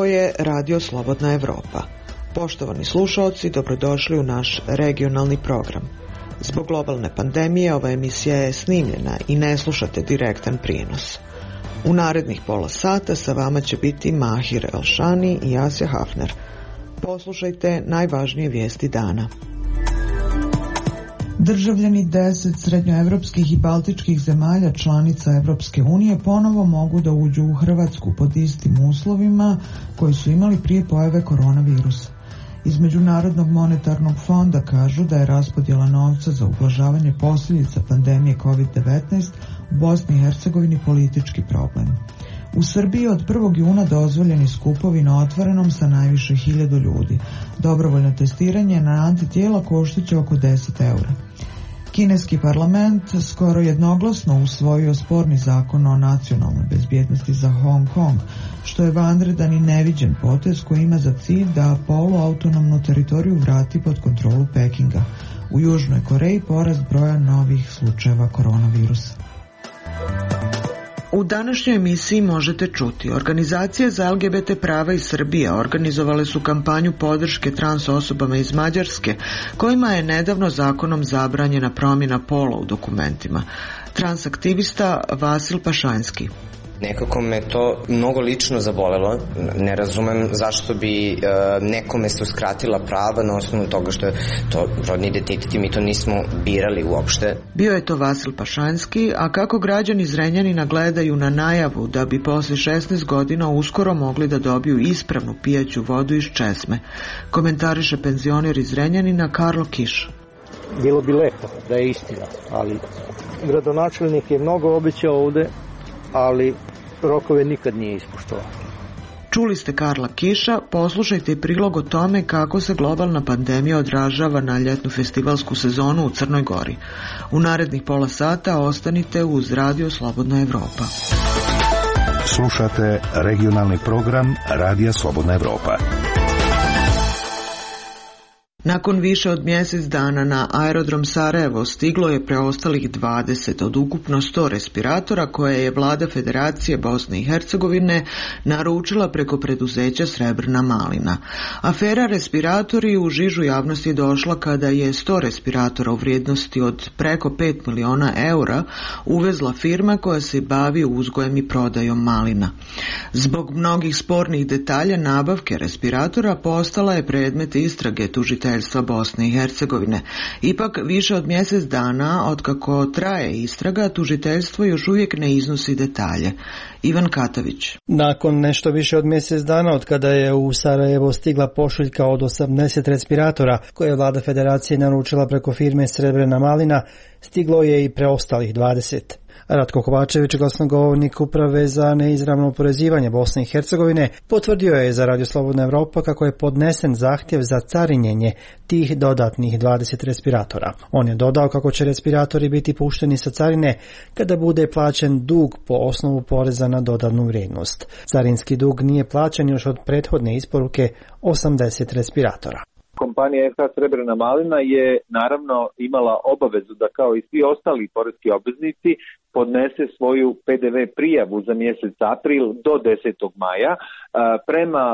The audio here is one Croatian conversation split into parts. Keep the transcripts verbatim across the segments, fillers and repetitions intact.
je Radio Slobodna Evropa. Poštovani slušaoci, dobrodošli u naš regionalni program. Zbog globalne pandemije ova emisija je snimljena i ne slušate direktan prijenos. U narednih pola sata sa vama će biti Mahir Elšani i Asja Hafner. Poslušajte najvažnije vijesti dana. Državljani deset srednjoevropskih i baltičkih zemalja članica Evropske unije ponovo mogu da uđu u Hrvatsku pod istim uslovima koji su imali prije pojave koronavirusa. Iz Međunarodnog monetarnog fonda kažu da je raspodjela novca za ublažavanje posljedica pandemije kovid devetnaest u Bosni i Hercegovini politički problem. U Srbiji od prvog juna dozvoljeni skupovi na otvorenom sa najviše hiljadu ljudi. Dobrovoljno testiranje na antitijela koštaće oko deset eura. Kineski parlament skoro jednoglasno usvojio sporni zakon o nacionalnoj bezbjednosti za Hong Kong, što je vanredan i neviđen potez koji ima za cilj da poluautonomnu teritoriju vrati pod kontrolu Pekinga. U Južnoj Koreji porast broja novih slučajeva koronavirusa. U današnjoj emisiji možete čuti: organizacije za L G B T prava iz Srbije organizovale su kampanju podrške trans osobama iz Mađarske, kojima je nedavno zakonom zabranjena promjena pola u dokumentima. Transaktivista Vasil Pašanjski. Nekako me to mnogo lično zabolelo. Ne razumem zašto bi uh, nekome se uskratila prava na osnovu toga što je to rodni identitet i mi to nismo birali uopšte. Bio je to Vasil Pašanjski, a kako građani Zrenjanina gledaju na najavu da bi posle šesnaest godina uskoro mogli da dobiju ispravnu pijaću vodu iz česme, komentariše penzioner iz Zrenjanina Karlo Kiš. Bilo bi lepo da je istina, ali gradonačelnik je mnogo obećao ovde, ali rokove nikad nije ispoštovao. Čuli ste Karla Kiša, poslušajte i prilog o tome kako se globalna pandemija odražava na ljetnu festivalsku sezonu u Crnoj Gori. U narednih pola sata ostanite uz Radio Slobodna Evropa. Slušate regionalni program Radija Slobodna Evropa. Nakon više od mjesec dana na aerodrom Sarajevo stiglo je preostalih dvadeset od ukupno sto respiratora koje je vlada Federacije Bosne i Hercegovine naručila preko preduzeća Srebrna malina. Afera respiratori u žižu javnosti je došla kada je sto respiratora u vrijednosti od preko pet miliona eura uvezla firma koja se bavi uzgojem i prodajom malina. Zbog mnogih spornih detalja nabavke respiratora postala je predmet istrage tužiteljstva Bosne i Hercegovine. Ipak više od mjesec dana otkako traje istraga, tužiteljstvo još uvijek ne iznosi detalje. Ivan Katavić. Nakon nešto više od mjesec dana od kada je u Sarajevo stigla pošiljka od osamdeset respiratora koje je vlada Federacije naručila preko firme Srebrna malina, stiglo je i preostalih dvadeset. Ratko Kovačević, glasnogovornik Uprave za neizravno oporezivanje Bosne i Hercegovine, potvrdio je za Radio Slobodna Evropa kako je podnesen zahtjev za carinjenje tih dodatnih dvadeset respiratora. On je dodao kako će respiratori biti pušteni sa carine kada bude plaćen dug po osnovu poreza na dodanu vrijednost. Carinski dug nije plaćen još od prethodne isporuke osamdeset respiratora. Kompanija F H Srebrna malina je naravno imala obavezu da kao i svi ostali poreski obveznici podnese svoju P D V prijavu za mjesec april do desetog maja. Prema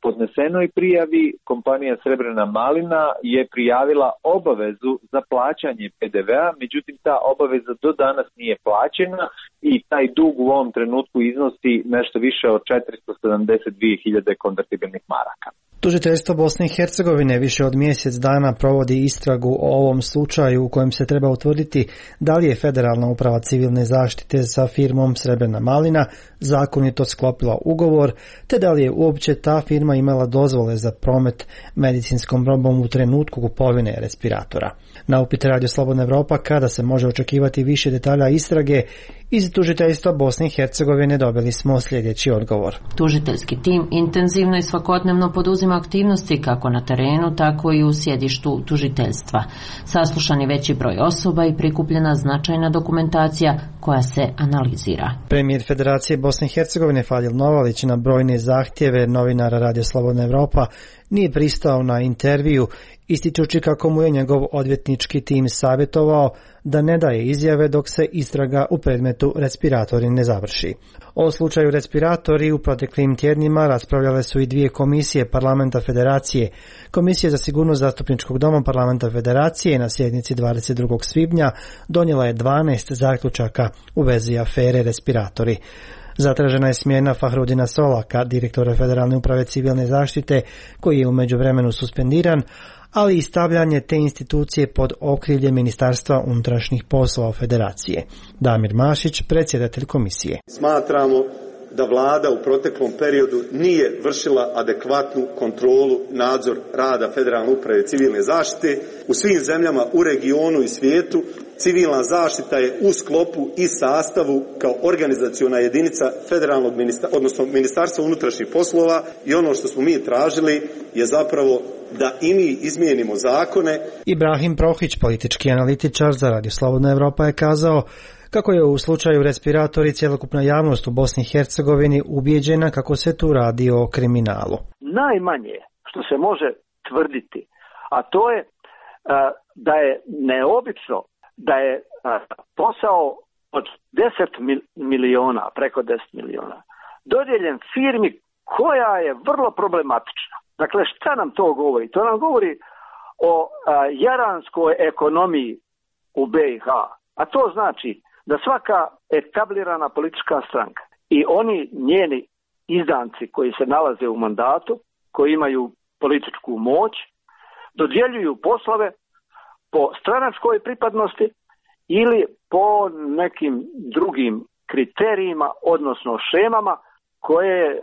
podnesenoj prijavi kompanija Srebrna malina je prijavila obavezu za plaćanje P D V-a, međutim ta obaveza do danas nije plaćena i taj dug u ovom trenutku iznosi nešto više od četiristo sedamdeset dvije hiljade konvertibilnih maraka. Tužiteljstvo Bosne i Hercegovine više od mjesec dana provodi istragu o ovom slučaju u kojem se treba utvrditi da li je Federalna uprava civilne zaštite sa firmom Srebrna malina zakonito sklopila ugovor, te da li je uopće ta firma imala dozvole za promet medicinskom robom u trenutku kupovine respiratora. Na upit Radio Slobodna Evropa kada se može očekivati više detalja istrage, iz tužiteljstva Bosne i Hercegovine dobili smo sljedeći odgovor. Tužiteljski tim intenzivno i svakodnevno poduzima aktivnosti kako na terenu, tako i u sjedištu tužiteljstva. Saslušan je veći broj osoba i prikupljena značajna dokumentacija koja se analizira. Premijer Federacije Bosne i Hercegovine Fadil Novalić na brojne zahtjeve novinara Radio Slobodna Evropa nije pristao na intervju, ističući kako mu je njegov odvjetnički tim savjetovao da ne daje izjave dok se istraga u predmetu respiratori ne završi. O slučaju respiratori u proteklim tjednima raspravljale su i dvije komisije Parlamenta Federacije. Komisija za sigurnost Zastupničkog doma Parlamenta Federacije na sjednici dvadeset drugog svibnja donijela je dvanaest zaključaka u vezi afere respiratori. Zatražena je smjena Fahrudina Solaka, direktora Federalne uprave civilne zaštite, koji je u međuvremenu suspendiran, ali i stavljanje te institucije pod okrilje Ministarstva unutrašnjih poslova Federacije. Damir Mašić, predsjedatelj komisije. Smatramo da vlada u proteklom periodu nije vršila adekvatnu kontrolu, nadzor rada Federalne uprave civilne zaštite. U svim zemljama u regionu i svijetu civilna zaštita je u sklopu i sastavu kao organizaciona jedinica federalnog ministarstva, odnosno Ministarstva unutrašnjih poslova, i ono što smo mi tražili je zapravo da i mi izmijenimo zakone. Ibrahim Prohić, politički analitičar za Radio Slobodna Evropa, je kazao kako je u slučaju respiratori cjelokupna javnost u Bosni i Hercegovini ubijeđena kako se tu radi o kriminalu. Najmanje što se može tvrditi, a to je da je neobično da je posao od deset miliona, preko deset miliona, dodijeljen firmi koja je vrlo problematična. Dakle, šta nam to govori? To nam govori o jaranskoj ekonomiji u B i H, a to znači da svaka etablirana politička stranka i oni njeni izdanci koji se nalaze u mandatu, koji imaju političku moć, dodjeljuju poslove po stranačkoj pripadnosti ili po nekim drugim kriterijima, odnosno šemama koje e,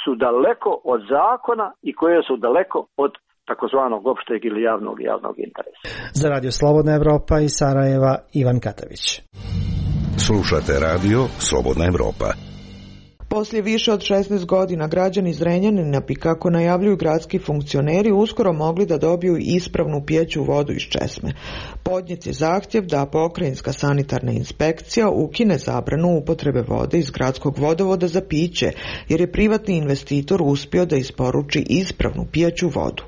su daleko od zakona i koje su daleko od takozvanog opšteg ili javnog javnog interesa. Za Radio Slobodna Evropa iz Sarajeva, Ivan Katavić. Slušate radio Slobodna Evropa. Poslije više od šesnaest godina građani Zrenjanina bi, kako najavljuju gradski funkcioneri, uskoro mogli da dobiju ispravnu pijeću vodu iz česme. Podnijet je zahtjev da pokrajinska sanitarna inspekcija ukine zabranu upotrebe vode iz gradskog vodovoda za piće, jer je privatni investitor uspio da isporuči ispravnu pijeću vodu.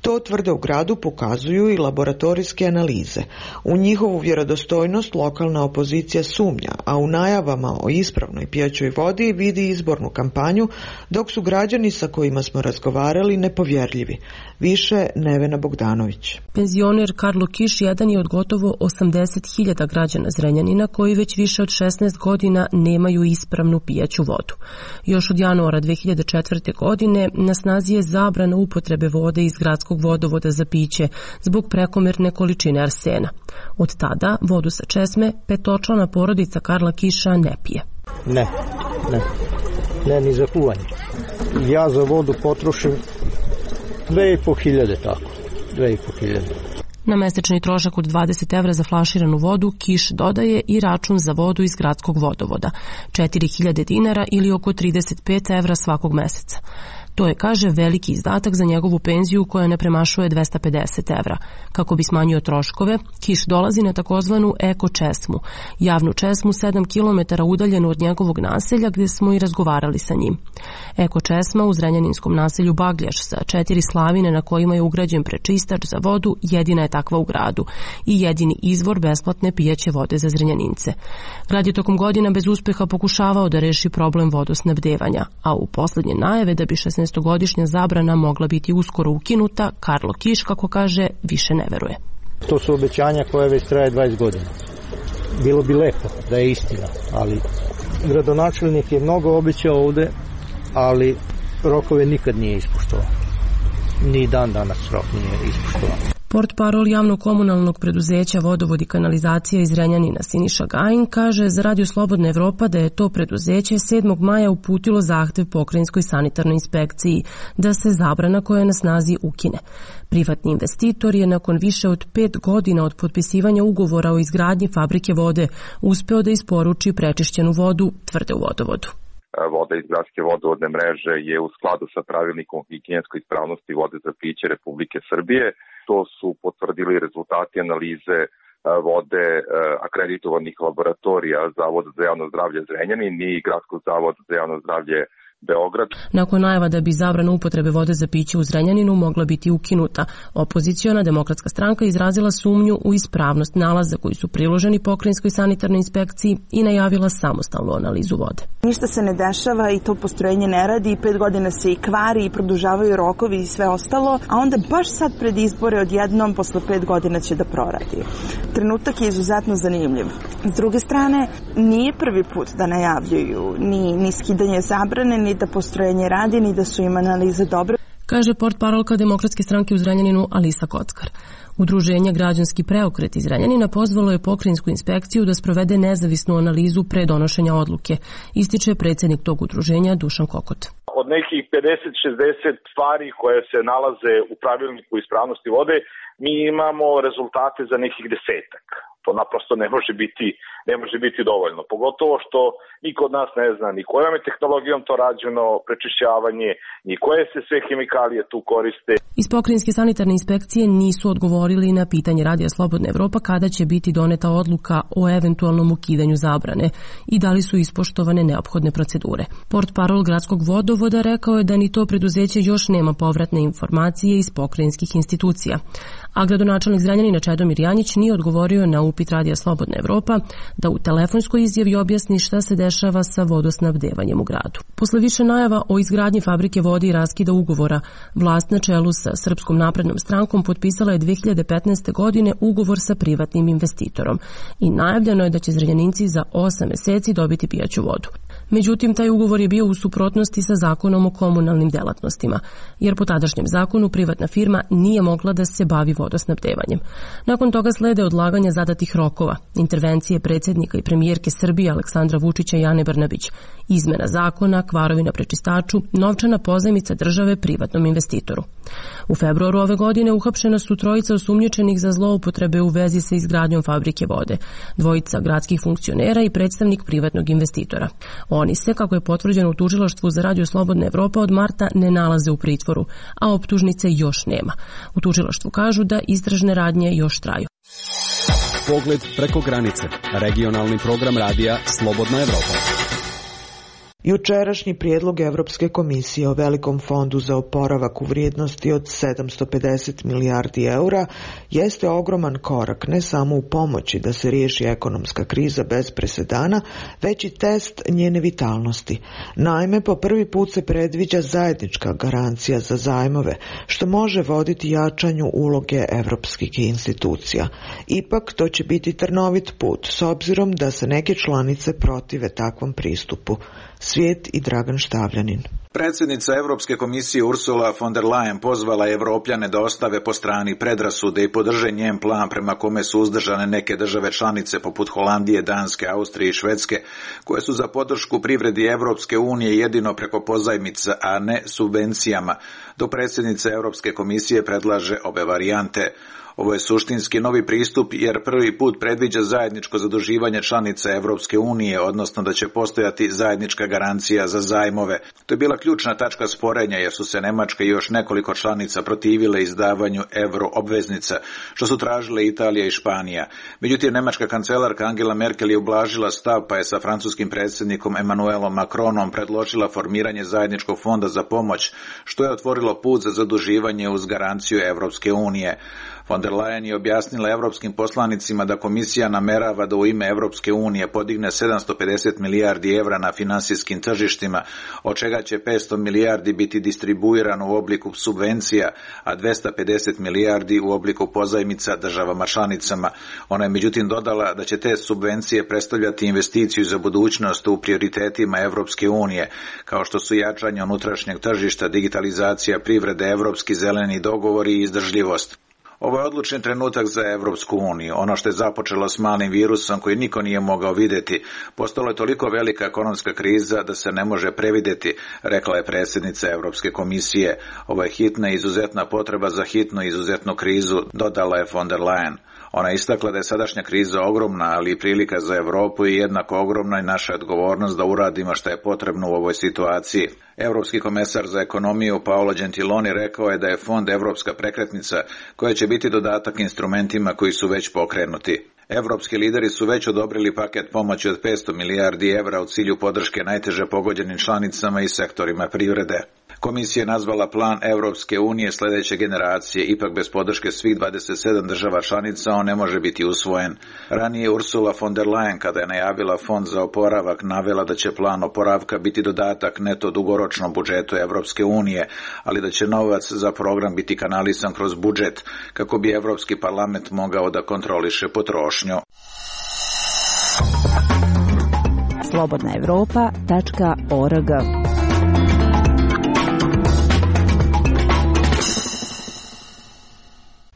To, tvrde u gradu, pokazuju i laboratorijske analize. U njihovu vjerodostojnost lokalna opozicija sumnja, a u najavama o ispravnoj pijećoj vodi vidi izbornu kampanju, dok su građani sa kojima smo razgovarali nepovjerljivi. Više Nevena Bogdanović. Penzioner Karlo Kiš jedan je od gotovo osamdeset hiljada građana Zrenjanina koji već više od šesnaest godina nemaju ispravnu pijeću vodu. Još od januara dve hiljade četvrte. godine na snazi je zabrana upotrebe vode iz gradskog vodovoda za piće zbog prekomjerne količine arsena. Od tada vodu sa česme petočlana porodica Karla Kiša ne pije. Ne, ne, ne ni za kuvanje. Ja za vodu potrošim dve i po hiljade, tako, dve i po hiljade. Na mesečni trošak od dvadeset evra za flaširanu vodu Kiš dodaje i račun za vodu iz gradskog vodovoda, četiri hiljade dinara ili oko trideset pet evra svakog meseca. To je, kaže, veliki izdatak za njegovu penziju koja ne premašuje dvesta pedeset evra. Kako bi smanjio troškove, Kiš dolazi na takozvanu eko česmu, javnu česmu sedam kilometara udaljenu od njegovog naselja gdje smo i razgovarali sa njim. Eko česma u zrenjaninskom naselju Bagljaš sa četiri slavine na kojima je ugrađen prečistač za vodu jedina je takva u gradu i jedini izvor besplatne pijaće vode za Zrenjanince. Grad je tokom godina bez uspeha pokušavao da reši problem vodosnabdevanja, a u posljednje najave da bi šesnaestogodišnja zabrana mogla biti uskoro ukinuta, Karlo Kiš, kako kaže, više ne veruje. To su obećanja koje već traje dvadeset godina. Bilo bi lepo da je istina, ali gradonačelnik je mnogo obećao ovde, ali rokove nikad nije ispoštovao. Ni dan danas rok nije ispoštovao. Portparol javno-komunalnog preduzeća Vodovod i kanalizacija iz Zrenjanina Siniša Gajin kaže za Radio Slobodna Evropa da je to preduzeće sedmog maja uputilo zahtev pokrajinskoj sanitarnoj inspekciji da se zabrana koja je na snazi ukine. Privatni investitor je nakon više od pet godina od potpisivanja ugovora o izgradnji fabrike vode uspeo da isporuči prečišćenu vodu, tvrde u Vodovodu. Voda iz gradske vodovodne mreže je u skladu sa pravilnikom o higijenskoj ispravnosti vode za piće Republike Srbije. To su potvrdili rezultati analize vode akreditovanih laboratorija Zavoda za javno zdravlje Zrenjanin i Gradskog zavoda za javno zdravlje Beograd. Nakon najava da bi zabrana upotrebe vode za piće u Zrenjaninu mogla biti ukinuta, opoziciona Demokratska stranka izrazila sumnju u ispravnost nalaza koji su priloženi pokrajinskoj sanitarnoj inspekciji i najavila samostalnu analizu vode. Ništa se ne dešava i to postrojenje ne radi, pet godina se i kvari i produžavaju rokovi i sve ostalo, a onda baš sad pred izbore odjednom posle pet godina će da proradi. Trenutak je izuzetno zanimljiv. S druge strane, nije prvi put da najavljuju ni, ni skidanje zabrane, ni da postrojenje radi, ni da su im analize dobre. Kaže portparolka Demokratske stranke u Zrenjaninu Alisa Kockar. Udruženje Građanski preokret iz Zrenjanina pozvalo je pokrajinsku inspekciju da sprovede nezavisnu analizu pre donošenja odluke, ističe predsjednik tog udruženja Dušan Kokot. Od nekih pedeset šezdeset stvari koje se nalaze u pravilniku ispravnosti vode, mi imamo rezultate za nekih desetak. To naprosto ne može biti, ne može biti dovoljno. Pogotovo što niko od nas ne zna ni kojom je tehnologijom to rađeno, prečišćavanje, ni koje se sve hemikalije tu koriste. Iz pokrajinske sanitarne inspekcije nisu odgovorili na pitanje Radija Slobodna Evropa kada će biti doneta odluka o eventualnom ukidanju zabrane i da li su ispoštovane neophodne procedure. Portparol gradskog vodovoda rekao je da ni to preduzeće još nema povratne informacije iz pokrajinskih institucija. A gradonačelnik Zrenjanina Čedomir Janjić nije odgovorio na upit Radija Slobodna Evropa da u telefonskoj izjavi objasni šta se dešava sa vodosnabdevanjem u gradu. Posle više najava o izgradnji fabrike vode i raskida ugovora, vlast na čelu sa Srpskom naprednom strankom potpisala je dve hiljade petnaeste. godine ugovor sa privatnim investitorom i najavljeno je da će Zrenjaninci za osam meseci dobiti pijaću vodu. Međutim, taj ugovor je bio u suprotnosti sa zakonom o komunalnim delatnostima, jer po tadašnjem zakonu privatna firma nije mogla da se bavi vodosnabdevanjem. Nakon toga slede odlaganja zadatih rokova, intervencije predsjednika i premijerke Srbije Aleksandra Vučića i Ane Brnabić, izmena zakona, kvarovi na prečistaču, novčana pozajmica države privatnom investitoru. U februaru ove godine uhapšena su trojica osumnjičenih za zloupotrebe u vezi sa izgradnjom fabrike vode, dvojica gradskih funkcionera i predstavnik privatnog investitora. Oni se, kako je potvrđeno u tužilaštvu za Radio Slobodna Evropa, od marta ne nalaze u pritvoru, a optužnice još nema. U tužilaštvu kažu da istražne radnje još traju. Pogled preko granice. Regionalni program radija Slobodna Evropa. Jučerašnji prijedlog Evropske komisije o velikom fondu za oporavak u vrijednosti od sedamsto pedeset milijardi eura jeste ogroman korak ne samo u pomoći da se riješi ekonomska kriza bez presedana, već i test njene vitalnosti. Naime, po prvi put se predviđa zajednička garancija za zajmove, što može voditi jačanju uloge evropskih institucija. Ipak, to će biti trnovit put, s obzirom da se neke članice protive takvom pristupu. Svijet i Dragan Štavljanin. Predsjednica Europske komisije Ursula von der Leyen pozvala Evropljane da ostave po strani predrasude i podrže njen plan prema kome su uzdržane neke države članice poput Holandije, Danske, Austrije i Švedske, koje su za podršku privredi Evropske unije jedino preko pozajmica, a ne subvencijama, dok predsjednica Europske komisije predlaže obe varijante. Ovo je suštinski novi pristup jer prvi put predviđa zajedničko zaduživanje članica Evropske unije, odnosno da će postojati zajednička garancija za zajmove. To je bila ključna tačka sporenja jer su se Nemačka i još nekoliko članica protivile izdavanju euro obveznica, što su tražile Italija i Španija. Međutim, nemačka kancelarka Angela Merkel je ublažila stav pa je sa francuskim predsjednikom Emmanuelom Macronom predložila formiranje zajedničkog fonda za pomoć, što je otvorilo put za zaduživanje uz garanciju Evropske unije. Von der Leyen je objasnila evropskim poslanicima da komisija namerava da u ime Evropske unije podigne sedamsto pedeset milijardi evra na finansijskim tržištima, od čega će petsto milijardi biti distribuirano u obliku subvencija, a dvesta pedeset milijardi u obliku pozajmica državama članicama. Ona je međutim dodala da će te subvencije predstavljati investiciju za budućnost u prioritetima Evropske unije, kao što su jačanje unutrašnjeg tržišta, digitalizacija privrede, evropski zeleni dogovori i izdržljivost. Ovo je odlučni trenutak za Evropsku uniju. Ono što je započelo s malim virusom koji niko nije mogao vidjeti, postalo je toliko velika ekonomska kriza da se ne može previdjeti, rekla je predsjednica Europske komisije. Ovo je hitna i izuzetna potreba za hitnu i izuzetnu krizu, dodala je von der Leyen. Ona je istakla da je sadašnja kriza ogromna, ali i prilika za Europu i jednako ogromna i naša odgovornost da uradimo što je potrebno u ovoj situaciji. Europski komesar za ekonomiju Paolo Gentiloni rekao je da je fond Evropska prekretnica koja će biti dodatak instrumentima koji su već pokrenuti. Evropski lideri su već odobrili paket pomoći od petsto milijardi evra u cilju podrške najteže pogođenim članicama i sektorima privrede. Komisija je nazvala plan Evropske unije sljedeće generacije, ipak bez podrške svih dvadeset sedam država članica on ne može biti usvojen. Ranije Ursula von der Leyen, kada je najavila fond za oporavak, navela da će plan oporavka biti dodatak neto dugoročnom budžetu Evropske unije, ali da će novac za program biti kanalisan kroz budžet, kako bi Evropski parlament mogao da kontroliše potrošnju. slobodna evropa tačka org.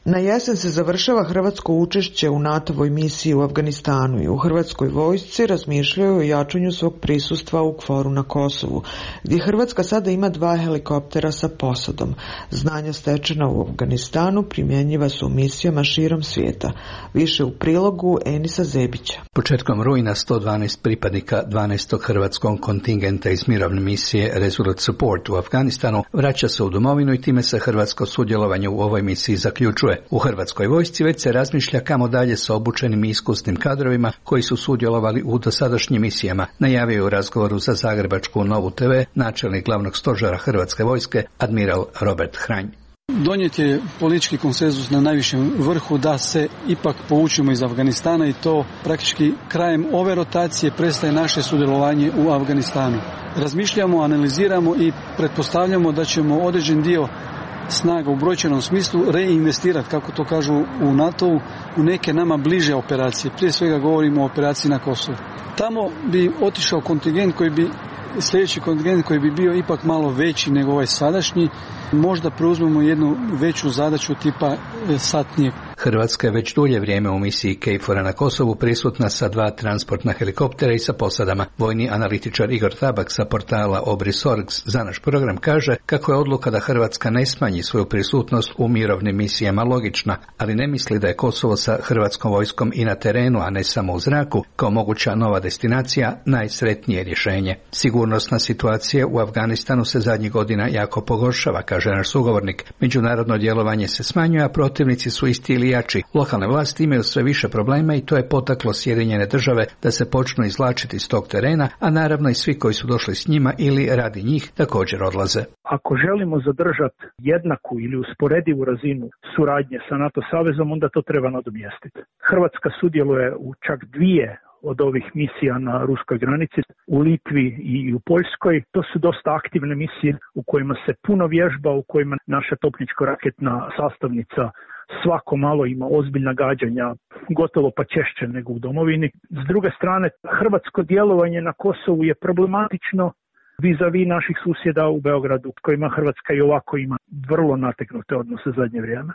Na jesen se završava hrvatsko učešće u NATO-voj misiji u Afganistanu i u hrvatskoj vojsci razmišljaju o jačanju svog prisustva u Kforu na Kosovu, gdje Hrvatska sada ima dva helikoptera sa posadom. Znanja stečena u Afganistanu primjenjiva su u misijama širom svijeta. Više u prilogu Enisa Zebića. Početkom rujna sto dvanaest pripadnika dvanaestog hrvatskog kontingenta iz mirovne misije Resolute Support u Afganistanu vraća se u domovinu i time se hrvatsko sudjelovanje u ovoj misiji zaključuje. U hrvatskoj vojsci već se razmišlja kamo dalje sa obučenim i iskusnim kadrovima koji su sudjelovali u dosadašnjim misijama, najavio u razgovoru za Zagrebačku Novu te ve načelnik glavnog stožera Hrvatske vojske admiral Robert Hranj. Donijet je politički konsenzus na najvišem vrhu da se ipak povučemo iz Afganistana i to praktički krajem ove rotacije prestaje naše sudjelovanje u Afganistanu. Razmišljamo, analiziramo i pretpostavljamo da ćemo određen dio snaga u brojčanom smislu reinvestirati, kako to kažu u NATO-u, u neke nama bliže operacije. Prije svega govorimo o operaciji na Kosovu. Tamo bi otišao kontingent koji bi, sljedeći kontingent koji bi bio ipak malo veći nego ovaj sadašnji, možda preuzmemo jednu veću zadaću tipa satnije. Hrvatska je već dulje vrijeme u misiji KFOR-a na Kosovu prisutna sa dva transportna helikoptera i sa posadama. Vojni analitičar Igor Tabak sa portala Obrisorgs za naš program kaže kako je odluka da Hrvatska ne smanji svoju prisutnost u mirovnim misijama logična, ali ne misli da je Kosovo sa hrvatskom vojskom i na terenu, a ne samo u zraku, kao moguća nova destinacija, najsretnije rješenje. Sigurnosna situacija u Afganistanu se zadnjih godina jako pogoršava, kaže naš sugovornik. Međunarodno djelovanje se smanjuje, a protivnici su isti ili jači. Lokalne vlasti imaju sve više problema i to je potaklo Sjedinjene države da se počnu izvlačiti iz tog terena, a naravno i svi koji su došli s njima ili radi njih također odlaze. Ako želimo zadržati jednaku ili usporedivu razinu suradnje sa NATO savezom, onda to treba nadomjestiti. Hrvatska sudjeluje u čak dvije od ovih misija na ruskoj granici, u Litvi i u Poljskoj. To su dosta aktivne misije u kojima se puno vježba, u kojima naša topničko-raketna sastavnica svako malo ima ozbiljna gađanja, gotovo pa češće nego u domovini. S druge strane, hrvatsko djelovanje na Kosovu je problematično vis-a-vis naših susjeda u Beogradu, s kojima Hrvatska i ovako ima vrlo nateknute odnose zadnje vrijeme.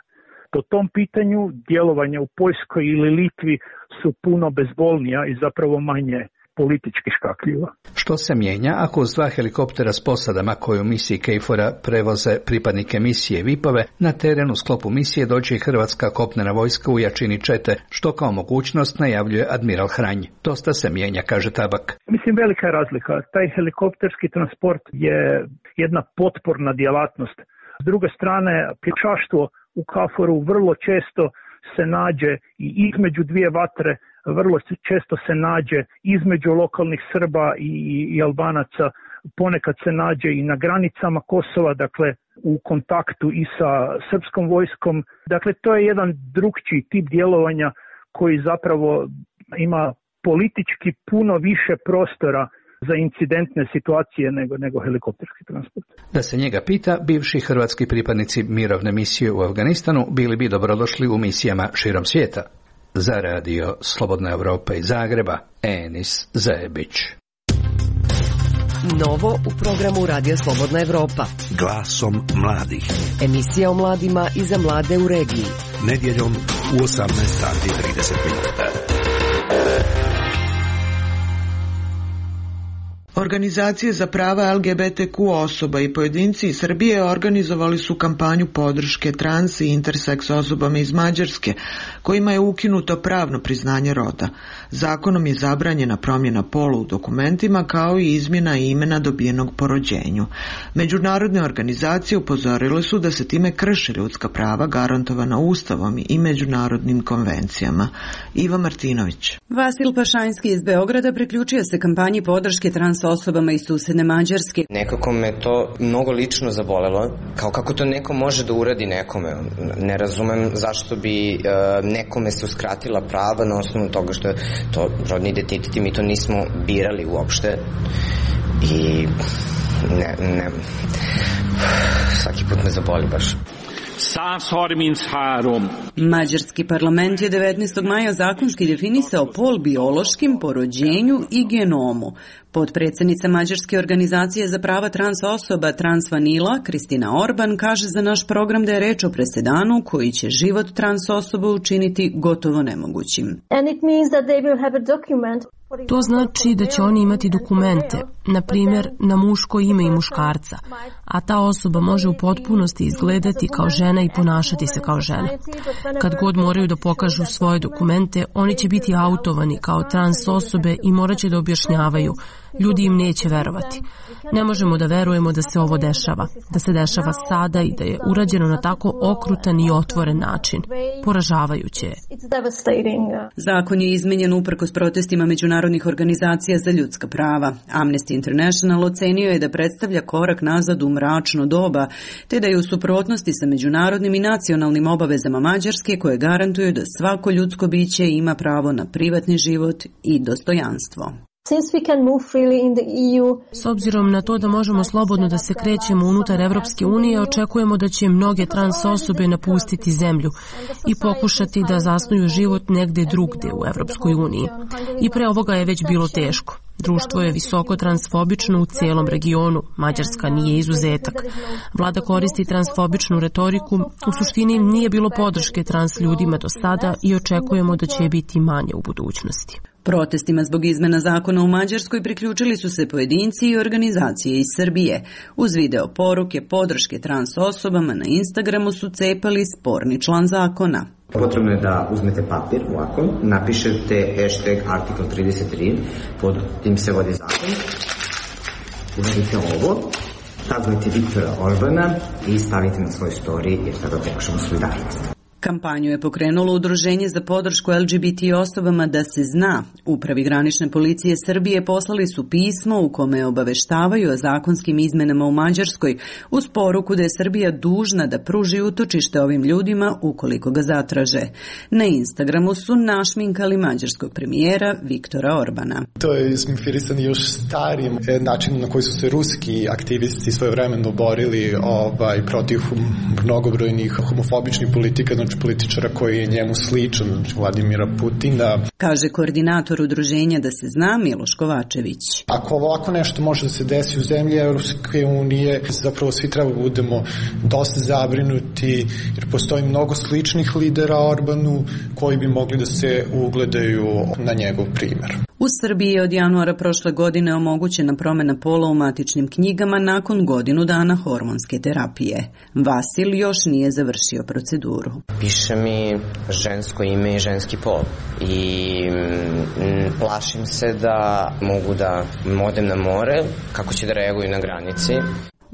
Po tom pitanju djelovanja u Poljskoj ili Litvi su puno bezbolnija i zapravo manje politički škakljiva. Što se mijenja ako uz dva helikoptera s posadama koji u misiji KFOR-a prevoze pripadnike misije Vipove, na teren u sklopu misije dođe i Hrvatska kopnena vojska u jačini čete, što kao mogućnost najavljuje admiral Hranj. Dosta se mijenja, kaže Tabak. Mislim, velika je razlika. Taj helikopterski transport je jedna potporna djelatnost. S druge strane, pješaštvo u KFOR-u vrlo često se nađe i između dvije vatre, vrlo često se nađe između lokalnih Srba i, i Albanaca, ponekad se nađe i na granicama Kosova, dakle u kontaktu i sa srpskom vojskom. Dakle, to je jedan drugčiji tip djelovanja koji zapravo ima politički puno više prostora za incidentne situacije nego, nego helikopterski transport. Da se njega pita, bivši hrvatski pripadnici mirovne misije u Afganistanu bili bi dobrodošli u misijama širom svijeta. Za radio Slobodna Evropa iz Zagreba, Enis Zebić. Novo u programu Radija Slobodna Evropa. Glasom mladih. Emisija o mladima i za mlade u regiji. Nedjeljom u osamnaest sati i trideset minuta. Organizacije za prava L G B T Q osoba i pojedinci iz Srbije organizovali su kampanju podrške trans i interseks osobama iz Mađarske, kojima je ukinuto pravno priznanje roda. Zakonom je zabranjena promjena pola u dokumentima kao i izmjena imena dobijenog po rođenju. Međunarodne organizacije upozorile su da se time krše ljudska prava garantovana Ustavom i međunarodnim konvencijama. Iva Martinović. Vasil Pašanjski iz Beograda priključio se kampanji podrške trans osobama iz susedne Mađarske. Nekako me to mnogo lično zabolelo, kao kako to neko može da uradi nekome. Ne razumem zašto bi uh, nekome se uskratila prava na osnovu toga što je to rodni identitet i mi to nismo birali uopšte. I ne, ne, svaki put me zaboli baš. Mađarski parlament je devetnaestog maja zakonski definisao pol biološkim, po rođenju i genomu. Potpredsjednica Mađarske organizacije za prava trans osoba Trans Vanila, Kristina Orban, kaže za naš program da je reč o presedanu koji će život trans osoba učiniti gotovo nemogućim. To znači da će oni imati dokumente, na primjer na muško ime i muškarca, a ta osoba može u potpunosti izgledati kao žena i ponašati se kao žena. Kad god moraju da pokažu svoje dokumente, oni će biti autovani kao trans osobe i morat će da objašnjavaju. Ljudi im neće verovati. Ne možemo da verujemo da se ovo dešava, da se dešava sada i da je urađeno na tako okrutan i otvoren način. Poražavajuće je. Zakon je izmenjen uprkos protestima međunarodnih organizacija za ljudska prava. Amnesty International ocenio je da predstavlja korak nazad u mračno doba, te da je u suprotnosti sa međunarodnim i nacionalnim obavezama Mađarske koje garantuju da svako ljudsko biće ima pravo na privatni život i dostojanstvo. S obzirom na to da možemo slobodno da se krećemo unutar Evropske unije, očekujemo da će mnoge trans osobe napustiti zemlju i pokušati da zasnuju život negde drugde u Evropskoj uniji. I pre ovoga je već bilo teško. Društvo je visoko transfobično u cijelom regionu, Mađarska nije izuzetak. Vlada koristi transfobičnu retoriku, u suštini nije bilo podrške trans ljudima do sada i očekujemo da će je biti manje u budućnosti. Protestima zbog izmena zakona u Mađarskoj priključili su se pojedinci i organizacije iz Srbije. Uz video poruke podrške trans osobama na Instagramu su cepali sporni član zakona. Potrebno je da uzmete papir ovako, napišete hashtag article trideset tri, pod tim se vodi zakon, uradite ovo, tagnete Viktora Orbana i stavite na svoj story jer tada pokušamo solidarnost. Kampanju je pokrenulo Udruženje za podršku L G B T osobama Da se zna. Upravi granične policije Srbije poslali su pismo u kome obaveštavaju o zakonskim izmenama u Mađarskoj uz poruku da je Srbija dužna da pruži utočište ovim ljudima ukoliko ga zatraže. Na Instagramu su našminkali mađarskog premijera Viktora Orbana. To je sminfirisano još starijim načinom na koji su se ruski aktivisti svojevremeno borili ovaj, protiv mnogobrojnih homofobičnih politika, znači političara koji je njemu sličan, znači Vladimira Putina. Kaže koordinator udruženja Da se zna Miloš Kovačević. Ako ovako nešto može da se desi u zemlji Evropske unije, zapravo svi treba budemo dosta zabrinuti, jer postoji mnogo sličnih lidera Orbanu koji bi mogli da se ugledaju na njegov primjer. U Srbiji je od januara prošle godine omogućena promjena pola u matičnim knjigama nakon godinu dana hormonske terapije. Vasil još nije završio proceduru. Piše mi žensko ime i ženski pol i m, plašim se da mogu da odem na more, kako će da reaguju na granici.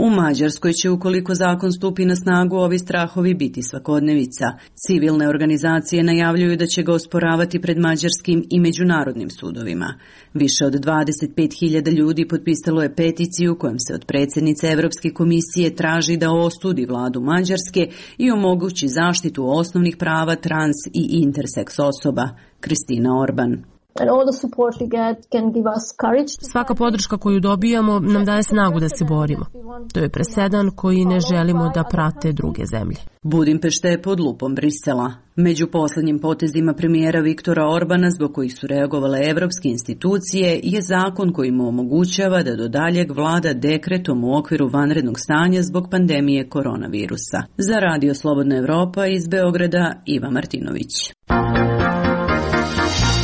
U Mađarskoj će, ukoliko zakon stupi na snagu, ovi strahovi biti svakodnevica. Civilne organizacije najavljuju da će ga osporavati pred mađarskim i međunarodnim sudovima. Više od dvadeset pet hiljada ljudi potpisalo je peticiju kojom se od predsjednice Evropske komisije traži da osudi vladu Mađarske i omogući zaštitu osnovnih prava trans i interseks osoba. Kristina Orban. Svaka podrška koju dobijamo nam daje snagu da se borimo. To je presedan koji ne želimo da prate druge zemlje. Budimpešta je pod lupom Brisela. Među posljednjim potezima premijera Viktora Orbana, zbog kojih su reagovale evropske institucije, je zakon koji mu omogućava da do daljeg vlada dekretom u okviru vanrednog stanja zbog pandemije koronavirusa. Za Radio Slobodna Evropa iz Beograda, Iva Martinović.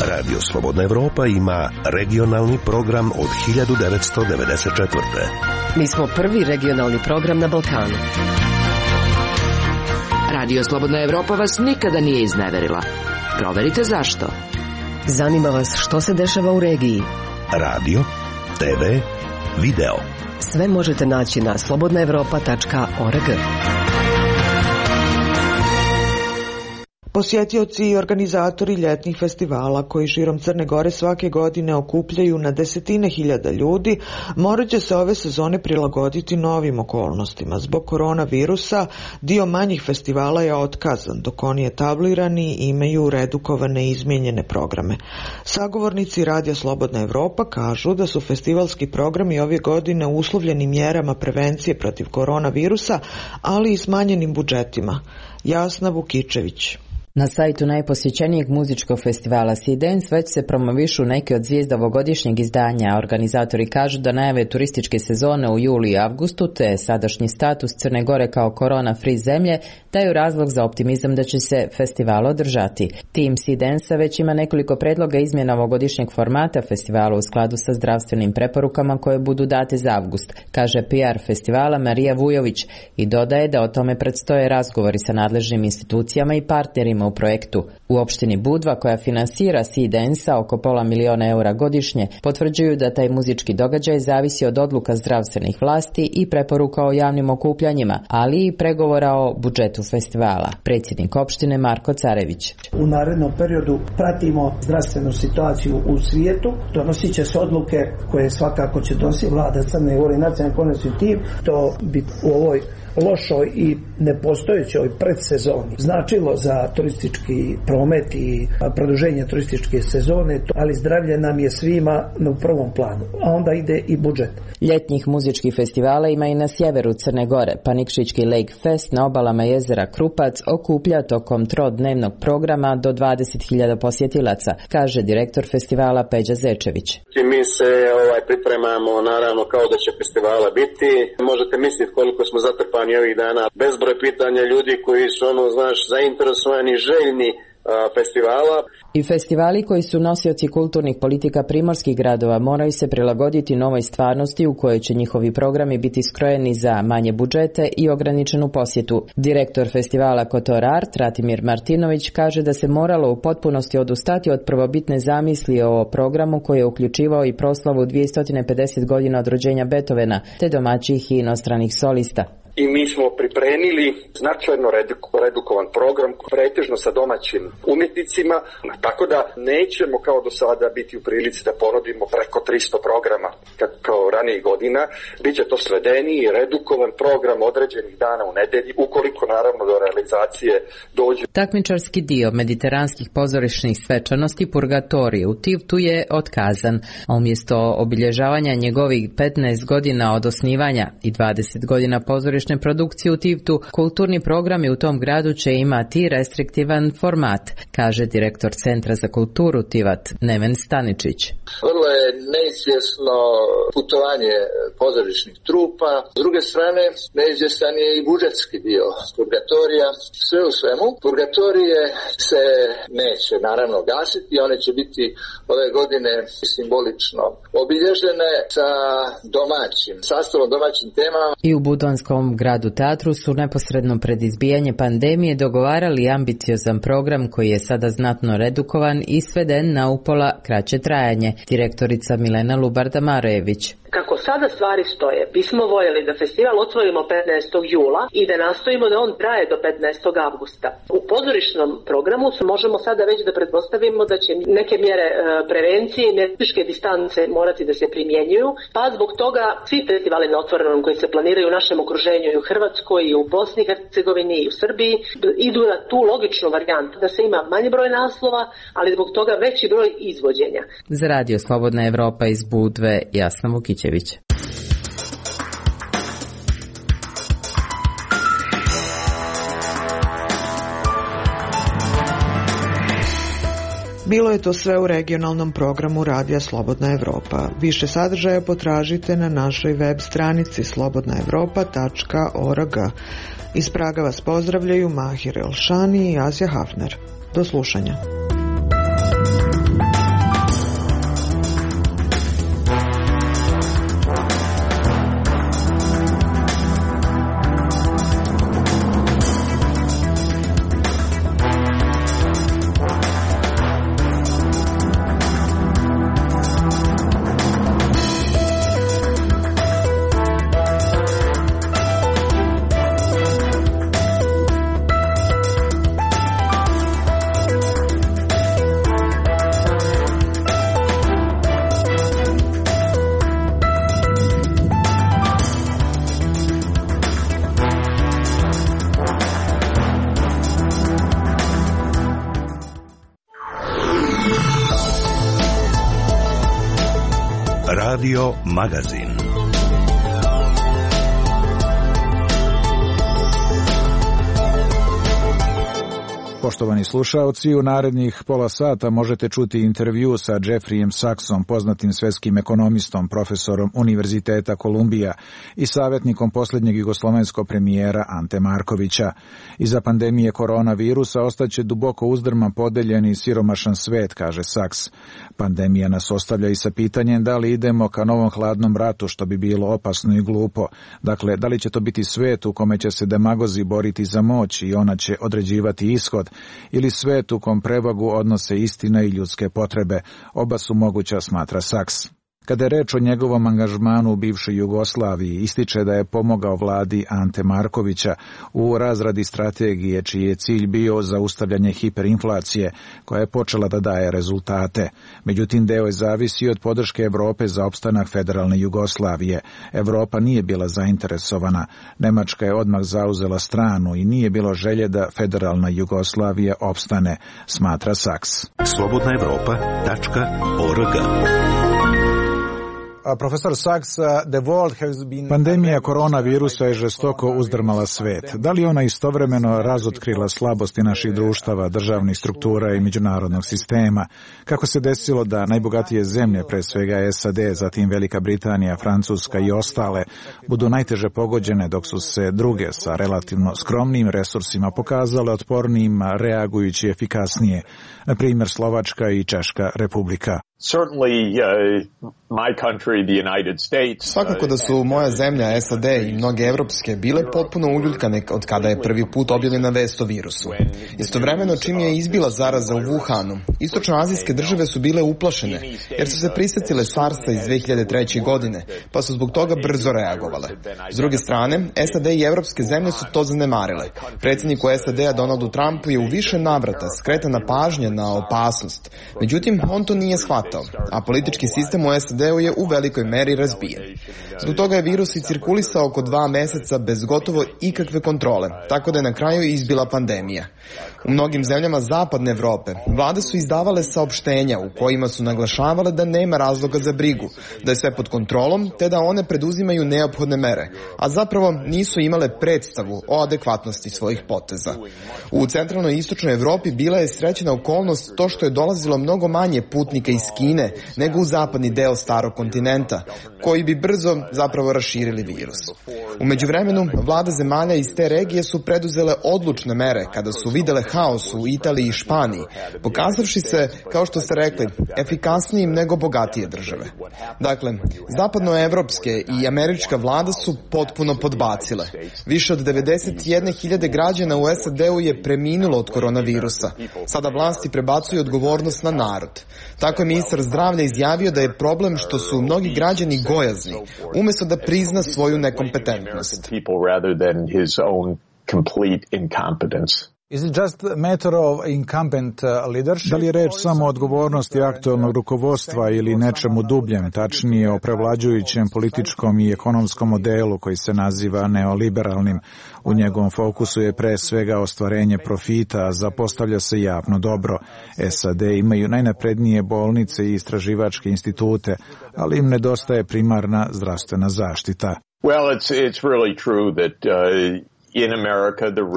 Radio Slobodna Evropa ima regionalni program od hiljadu devetsto devedeset četvrte. Mi smo prvi regionalni program na Balkanu. Radio Slobodna Evropa vas nikada nije izneverila. Proverite zašto. Zanima vas što se dešava u regiji. Radio, te ve, video. Sve možete naći na slobodna evropa tačka org. Posjetioci i organizatori ljetnih festivala koji širom Crne Gore svake godine okupljaju na desetine hiljada ljudi morat će se ove sezone prilagoditi novim okolnostima. Zbog koronavirusa dio manjih festivala je otkazan, dok oni etablirani imaju redukovane i izmijenjene programe. Sagovornici Radija Slobodna Evropa kažu da su festivalski programi ove godine uslovljeni mjerama prevencije protiv koronavirusa, ali i smanjenim budžetima. Jasna Vukičević. Na sajtu najposjećenijeg muzičkog festivala Sidens već se promovišu neke od zvijezda ovogodišnjeg izdanja. Organizatori kažu da najave turističke sezone u julu i avgustu te sadašnji status Crne Gore kao korona-free zemlje daju razlog za optimizam da će se festival održati. Tim Sidensa već ima nekoliko predloga izmjena ovogodišnjeg formata festivala u skladu sa zdravstvenim preporukama koje budu date za avgust, kaže P R festivala Marija Vujović i dodaje da o tome predstoje razgovori sa nadležnim institucijama i partnerima u projektu. U opštini Budva, koja finansira Sidensa oko pola miliona eura godišnje, potvrđuju da taj muzički događaj zavisi od odluka zdravstvenih vlasti i preporuka o javnim okupljanjima, ali i pregovora o budžetu festivala. Predsjednik opštine Marko Carević. U narednom periodu pratimo zdravstvenu situaciju u svijetu, donosit će se odluke koje svakako će donositi vlada Crne Gore i nacionalni koordinacioni tim. To bi u ovoj lošoj i nepostojećoj predsezoni značilo za turistički promet i produženje turističke sezone, ali zdravlje nam je svima u prvom planu, a onda ide i budžet. Ljetnih muzičkih festivala ima i na sjeveru Crne Gore. Panikšićki Lake Fest na obalama jezera Krupac okuplja tokom trodnevnog programa do dvadeset hiljada posjetilaca, kaže direktor festivala Peđa Zečević. Mi se ovaj, pripremamo naravno kao da će festivala biti. Možete misliti koliko smo zatrpani ovih dana. Bezbroj pitanja ljudi koji su ono, znaš, zainteresovani, željni festivala. I festivali koji su nosioci kulturnih politika primorskih gradova moraju se prilagoditi novoj stvarnosti u kojoj će njihovi programi biti skrojeni za manje budžete i ograničenu posjetu. Direktor festivala Kotor Art, Ratimir Martinović, kaže da se moralo u potpunosti odustati od prvobitne zamisli o programu koji je uključivao i proslavu dvjesto pedeset godina od rođenja Beethovena, te domaćih i inostranih solista. I mi smo pripremili značajno redukovan program, pretežno sa domaćim umjetnicima, tako da nećemo kao do sada biti u prilici da ponudimo preko tristo programa kao ranijih godina. Biće to svedeni i redukovan program određenih dana u nedelji, ukoliko naravno do realizacije dođe. Takmičarski dio mediteranskih pozorišnih svečanosti Purgatorije u Tivtu je otkazan, a umjesto obilježavanja njegovih petnaest godina od osnivanja i dvadeset godina pozorišnih produkcije u Tivtu, kulturni programi u tom gradu će imati restriktivan format, kaže direktor Centra za kulturu Tivat Neven Staničić. Vrlo je neizvjesno putovanje pozorišnih trupa, s druge strane neizvjestan je i budžetski dio Purgatorija. Sve u svemu, Purgatorije se neće naravno gasiti, one će biti ove godine simbolično obilježene sa domaćim sastavom, domaćim temama. I u Budvanskom gradu teatru su neposredno pred izbijanje pandemije dogovarali ambiciozan program koji je sada znatno redukovan i sveden na upola kraće trajanje. Direktorica Milena Lubarda-Marejević. Kako sada stvari stoje, bismo voljeli da festival otvorimo petnaestog jula i da nastojimo da on traje do petnaestog avgusta. U pozorišnom programu možemo sada već da pretpostavimo da će neke mjere prevencije i fizičke distance morati da se primjenjuju, pa zbog toga svi festivali na otvorenom koji se planiraju u našem okruženju i u Hrvatskoj i u Bosni i Hercegovini i u Srbiji idu na tu logičnu varijantu da se ima manji broj naslova, ali zbog toga veći broj izvođenja. Za Radio Slobodna Evropa iz Budve, Jasna Vukić. Bilo je to sve u regionalnom programu Radija Slobodna Evropa. Više sadržaja potražite na našoj web stranici slobodna evropa tačka org. Iz Praga vas pozdravljaju Mahir Elšani i Asja Hafner. Do slušanja. Radio Magazin. Poštovani slušaoci, u narednih pola sata možete čuti intervju sa Jeffreyem Sachsom, poznatim svetskim ekonomistom, profesorom Univerziteta Kolumbija i savjetnikom posljednjeg jugoslovenskog premijera Ante Markovića. Iza pandemije koronavirusa ostaće duboko uzdrman, podeljen i siromašan svet, kaže Sachs. Pandemija nas ostavlja i sa pitanjem da li idemo ka novom hladnom ratu, što bi bilo opasno i glupo. Dakle, da li će to biti svet u kome će se demagozi boriti za moć i ona će određivati ishod, ili svet u kom prevagu odnose istina i ljudske potrebe. Oba su moguća, smatra Sachs. Kada je reč o njegovom angažmanu u bivšoj Jugoslaviji, ističe da je pomogao vladi Ante Markovića u razradi strategije čiji je cilj bio zaustavljanje hiperinflacije, koja je počela da daje rezultate. Međutim, deo je zavisio od podrške Evrope za opstanak federalne Jugoslavije. Evropa nije bila zainteresovana. Nemačka je odmah zauzela stranu i nije bilo želje da federalna Jugoslavija opstane, smatra Sachs. slobodna evropa tačka org. Profesor Sachs, the world has been... Pandemija koronavirusa je žestoko uzdrmala svet. Da li ona istovremeno razotkrila slabosti naših društava, državnih struktura i međunarodnog sistema? Kako se desilo da najbogatije zemlje, pre svega S A D, zatim Velika Britanija, Francuska i ostale, budu najteže pogođene, dok su se druge sa relativno skromnim resursima pokazale otpornijim, reagujući efikasnije, na primjer Slovačka i Češka republika? Certainly, uh, my country, the United States. Svakako da su moja zemlja, S A D i mnoge evropske bile potpuno uljuljkane od kada je prvi put objavljena vest o virusu. Istovremeno, čim je izbila zaraza u Wuhanu, istočnoazijske države su bile uplašene, jer su se prisjetile SARS-a iz dve hiljade treće. godine, pa su zbog toga brzo reagovale. S druge strane, S A D i evropske zemlje su to zanemarile. Predsjedniku S A D-a Donaldu Trumpu je u više navrata skretana pažnja na opasnost. Međutim, on to nije shvatao, a politički sistem u S A D-u je u velikoj meri razbijen. Zbog toga je virus i cirkulisao oko dva meseca bez gotovo ikakve kontrole, tako da je na kraju izbila pandemija. U mnogim zemljama zapadne Evrope vlade su izdavale saopštenja u kojima su naglašavale da nema razloga za brigu, da je sve pod kontrolom, te da one preduzimaju neophodne mere, a zapravo nisu imale predstavu o adekvatnosti svojih poteza. U centralnoj i istočnoj Evropi bila je srećena okolnost to što je dolazilo mnogo manje putnika iz Kine nego u zapadni deo starog kontinenta, koji bi brzo zapravo raširili virus. U međuvremenu, vlade zemalja iz te regije su preduzele odlučne mere kada su videle haos u Italiji i Španiji, pokazavši se, kao što ste rekli, efikasnijim nego bogatije države. Dakle, zapadnoevropske i američka vlada su potpuno podbacile. Više od devedeset jedne hiljade građana u S A D-u je preminulo od koronavirusa. Sada vlasti prebacuju odgovornost na narod. Tako je ministar zdravlja izjavio da je problem što su mnogi građani gojazni, umjesto da prizna svoju nekompetentnost. Is it just a matter of incumbent leadership? Da li je reč samo o odgovornosti aktualnog rukovodstva ili nečemu dubljem, tačnije o prevlađujućem političkom i ekonomskom modelu koji se naziva neoliberalnim? U njegovom fokusu je pre svega ostvarenje profita, a zapostavlja se javno dobro. S A D imaju najnaprednije bolnice i istraživačke institute, ali im nedostaje primarna zdravstvena zaštita. Well, it's it's really true that uh...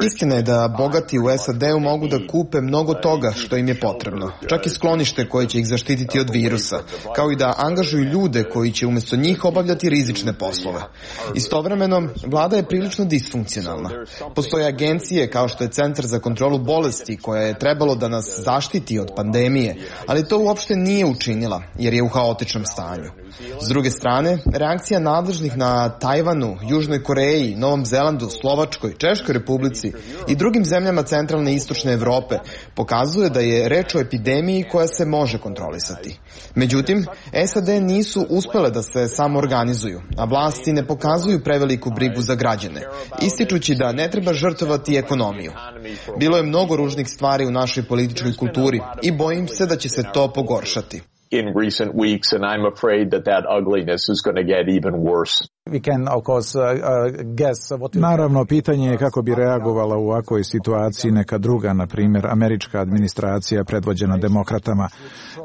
Istina je da bogati u S A D-u mogu da kupe mnogo toga što im je potrebno, čak i sklonište koje će ih zaštititi od virusa, kao i da angažuju ljude koji će umjesto njih obavljati rizične poslove. Istovremeno, vlada je prilično disfunkcionalna. Postoje agencije kao što je Centar za kontrolu bolesti koja je trebalo da nas zaštiti od pandemije, ali to uopšte nije učinila jer je u haotičnom stanju. S druge strane, reakcija nadležnih na Tajvanu, Južnoj Koreji, Novom Zelandu, Slovačkoj, Češkoj republici i drugim zemljama centralne i istočne Evrope pokazuje da je reč o epidemiji koja se može kontrolisati. Međutim, S A D nisu uspele da se samo organizuju, a vlasti ne pokazuju preveliku brigu za građane, ističući da ne treba žrtvovati ekonomiju. Bilo je mnogo ružnih stvari u našoj političkoj kulturi i bojim se da će se to pogoršati. in recent weeks, and I'm afraid that that ugliness is going to get even worse. We can, of course, uh, uh, guess what you... Naravno, pitanje je kako bi reagovala u ovakvoj situaciji neka druga, na primjer, američka administracija predvođena demokratama.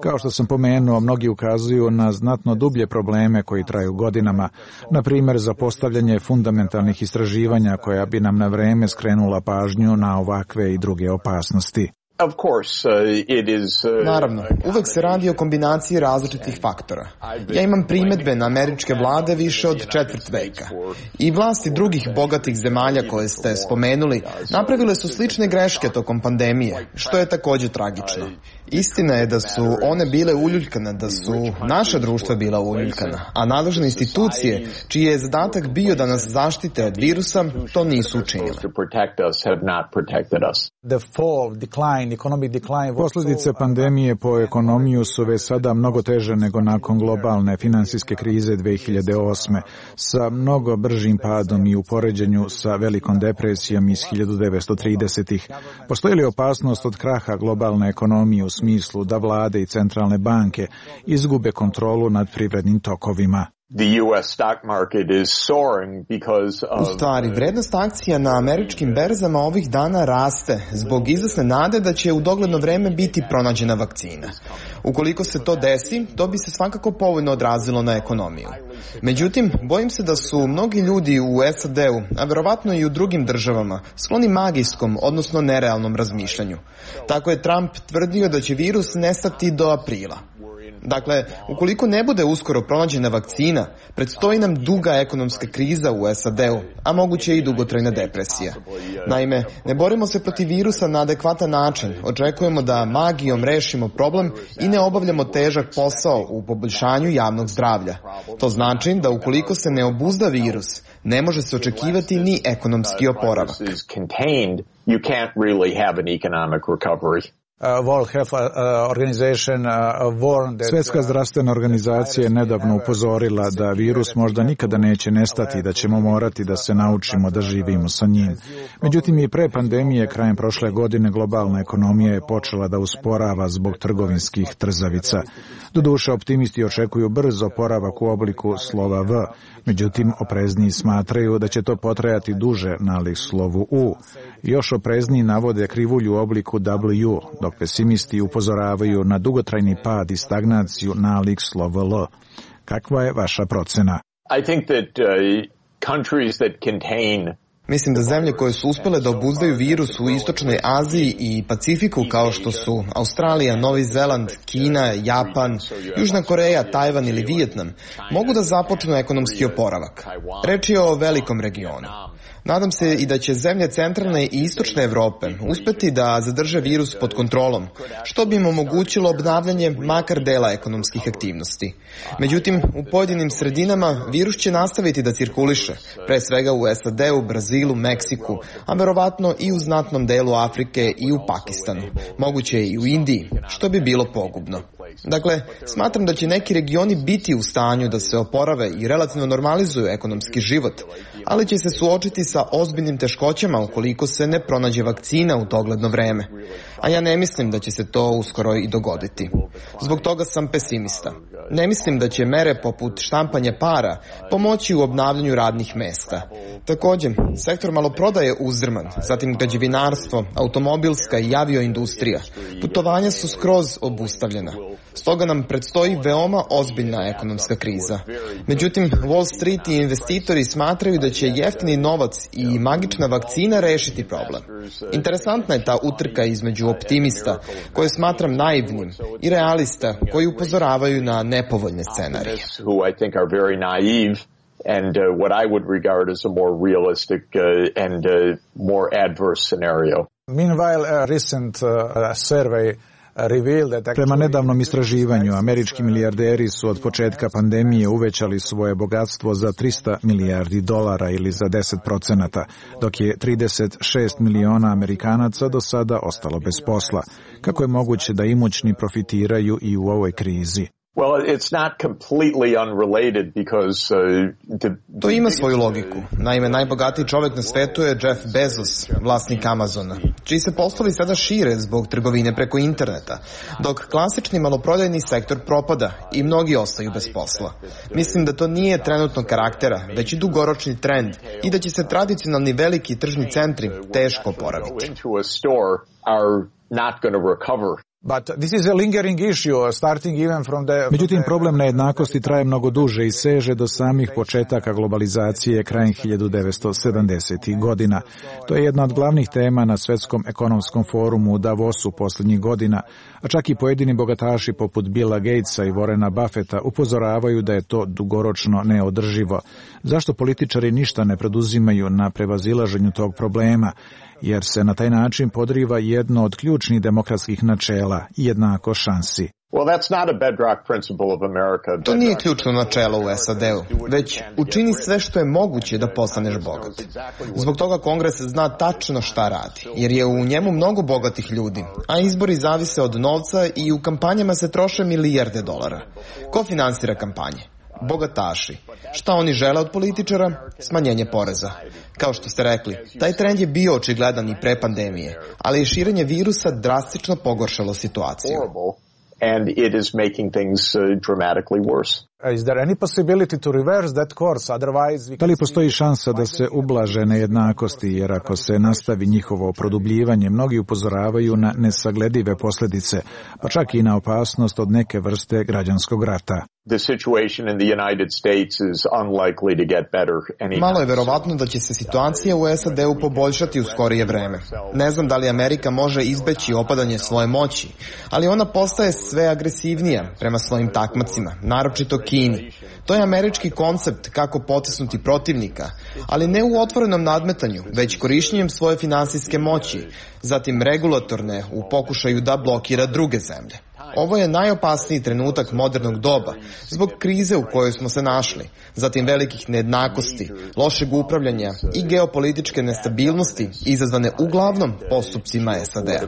Kao što sam pomenuo, mnogi ukazuju na znatno dublje probleme koji traju godinama, na primjer za postavljanje fundamentalnih istraživanja koja bi nam na vreme skrenula pažnju na ovakve i druge opasnosti. Of course, uh, it is, uh, Naravno, uvek se radi o kombinaciji različitih faktora. Ja imam primedbe na američke vlade više od četvrt veka. I vlasti drugih bogatih zemalja koje ste spomenuli napravile su slične greške tokom pandemije, što je takođe tragično. Istina je da su one bile uljuljkane, da su naša društva bila uljuljkana, a nadležne institucije, čiji je zadatak bio da nas zaštite od virusa, to nisu učinile. Posljedice pandemije po ekonomiju su već sada mnogo teže nego nakon globalne finansijske krize dve hiljade osme, sa mnogo bržim padom i u poređenju sa velikom depresijom iz hiljadu devetsto tridesetih. Postoji li opasnost od kraha globalne ekonomije u smislu da vlade i centralne banke izgube kontrolu nad privrednim tokovima? The U S stock market is soaring because of... U stvari, vrednost akcija na američkim berzama ovih dana raste zbog izvesne nade da će u dogledno vreme biti pronađena vakcina. Ukoliko se to desi, to bi se svakako povoljno odrazilo na ekonomiju. Međutim, bojim se da su mnogi ljudi u S A D-u, a verovatno i u drugim državama, skloni magijskom, odnosno nerealnom razmišljanju. Tako je Trump tvrdio da će virus nestati do aprila. Dakle, ukoliko ne bude uskoro pronađena vakcina, predstoji nam duga ekonomska kriza u S A D-u, a moguće i dugotrajna depresija. Naime, ne borimo se protiv virusa na adekvatan način, očekujemo da magijom rešimo problem i ne obavljamo težak posao u poboljšanju javnog zdravlja. To znači da ukoliko se ne obuzda virus, ne može se očekivati ni ekonomski oporavak. Svjetska zdravstvena organizacija je nedavno upozorila da virus možda nikada neće nestati i da ćemo morati da se naučimo da živimo sa njim. Međutim, i pre pandemije krajem prošle godine globalna ekonomija je počela da usporava zbog trgovinskih trzavica. Doduše, optimisti očekuju brz oporavak u obliku slova V, međutim, oprezniji smatraju da će to potrajati duže nalik slovu U. Još oprezniji navode krivulju u obliku W, dok pesimisti upozoravaju na dugotrajni pad i stagnaciju nalik slova L. Kakva je vaša procena? I think that uh, countries that contain Mislim da zemlje koje su uspele da obuzdaju virus u Istočnoj Aziji i Pacifiku, kao što su Australija, Novi Zeland, Kina, Japan, Južna Koreja, Tajvan ili Vijetnam, mogu da započnu ekonomski oporavak. Reč je o velikom regionu. Nadam se i da će zemlje centralne i istočne Evrope uspeti da zadrže virus pod kontrolom, što bi im omogućilo obnavljanje makar dela ekonomskih aktivnosti. Međutim, u pojedinim sredinama virus će nastaviti da cirkuliše, pre svega u S A D-u, Brazilu, Meksiku, a verovatno i u znatnom delu Afrike i u Pakistanu, moguće i u Indiji, što bi bilo pogubno. Dakle, smatram da će neki regioni biti u stanju da se oporave i relativno normalizuju ekonomski život, ali će se suočiti sa ozbiljnim teškoćama ukoliko se ne pronađe vakcina u dogledno vreme. A ja ne mislim da će se to uskoro i dogoditi. Zbog toga sam pesimista. Ne mislim da će mere poput štampanja para pomoći u obnavljanju radnih mesta. Također, sektor maloprodaje je uzdrman, zatim građevinarstvo, automobilska i avioindustrija. Putovanja su skroz obustavljena. Stoga nam predstoji veoma ozbiljna ekonomska kriza. Međutim, Wall Street i investitori smatraju da će jeftini novac i magična vakcina rešiti problem. Interesantna je ta utrka između optimista, koje smatram naivnim, i realista, koji upozoravaju na nepovoljne scenarije. And uh, what I would regard as a more realistic uh, and uh, more adverse scenario. Meanwhile, a recent uh, survey Prema nedavnom istraživanju, američki milijarderi su od početka pandemije uvećali svoje bogatstvo za trista milijardi dolara ili za deset procenata, dok je trideset šest miliona Amerikanaca do sada ostalo bez posla. Kako je moguće da imućni profitiraju i u ovoj krizi? Well, it's not completely unrelated because uh, the... To ima svoju logiku. Naime, najbogatiji čovjek na svetu je Jeff Bezos, vlasnik Amazona, čiji se poslovi sada šire zbog trgovine preko interneta, dok klasični maloprodajni sektor propada i mnogi ostaju bez posla. Mislim da to nije trenutnog karaktera, već i dugoročni trend i da će se tradicionalni veliki tržni centri teško oporaviti. But this is a lingering issue, starting even from the... Međutim, problem nejednakosti traje mnogo duže i seže do samih početaka globalizacije krajem hiljadu devetsto sedamdesetih godina. To je jedna od glavnih tema na Svetskom ekonomskom forumu u Davosu posljednjih godina, a čak i pojedini bogataši poput Billa Gatesa i Warrena Buffetta upozoravaju da je to dugoročno neodrživo. Zašto političari ništa ne preduzimaju na prevazilaženju tog problema? Jer se na taj način podriva jedno od ključnih demokratskih načela, jednako šansi. To nije ključno načelo u S A D-u, već učini sve što je moguće da postaneš bogat. Zbog toga Kongres zna tačno šta radi, jer je u njemu mnogo bogatih ljudi, a izbori zavise od novca i u kampanjama se troše milijarde dolara. Ko finansira kampanje? Bogataši. Šta oni žele od političara? Smanjenje poreza. Kao što ste rekli, taj trend je bio očigledan i pre pandemije, ali je širenje virusa drastično pogoršalo situaciju. And it is making things uh, dramatically worse. Is there any possibility to reverse that course? Otherwise... Da li postoji šansa da se ublaže nejednakosti, jer ako se nastavi njihovo produbljivanje, mnogi upozoravaju na nesagledive posljedice, pa čak i na opasnost od neke vrste građanskog rata. The situation in the United States is unlikely to get better anytime. Malo je verovatno da će se situacija u S A D-u poboljšati u skorije vreme. Ne znam da li Amerika može izbeći opadanje svoje moći, ali ona postaje sve agresivnija prema svojim takmacima, naročito Kini. To je američki koncept kako potisnuti protivnika, ali ne u otvorenom nadmetanju, već korišćenjem svoje finansijske moći, zatim regulatorne u pokušaju da blokira druge zemlje. Ovo je najopasniji trenutak modernog doba, zbog krize u kojoj smo se našli, zatim velikih nejednakosti, lošeg upravljanja i geopolitičke nestabilnosti izazvane uglavnom postupcima S A D-a.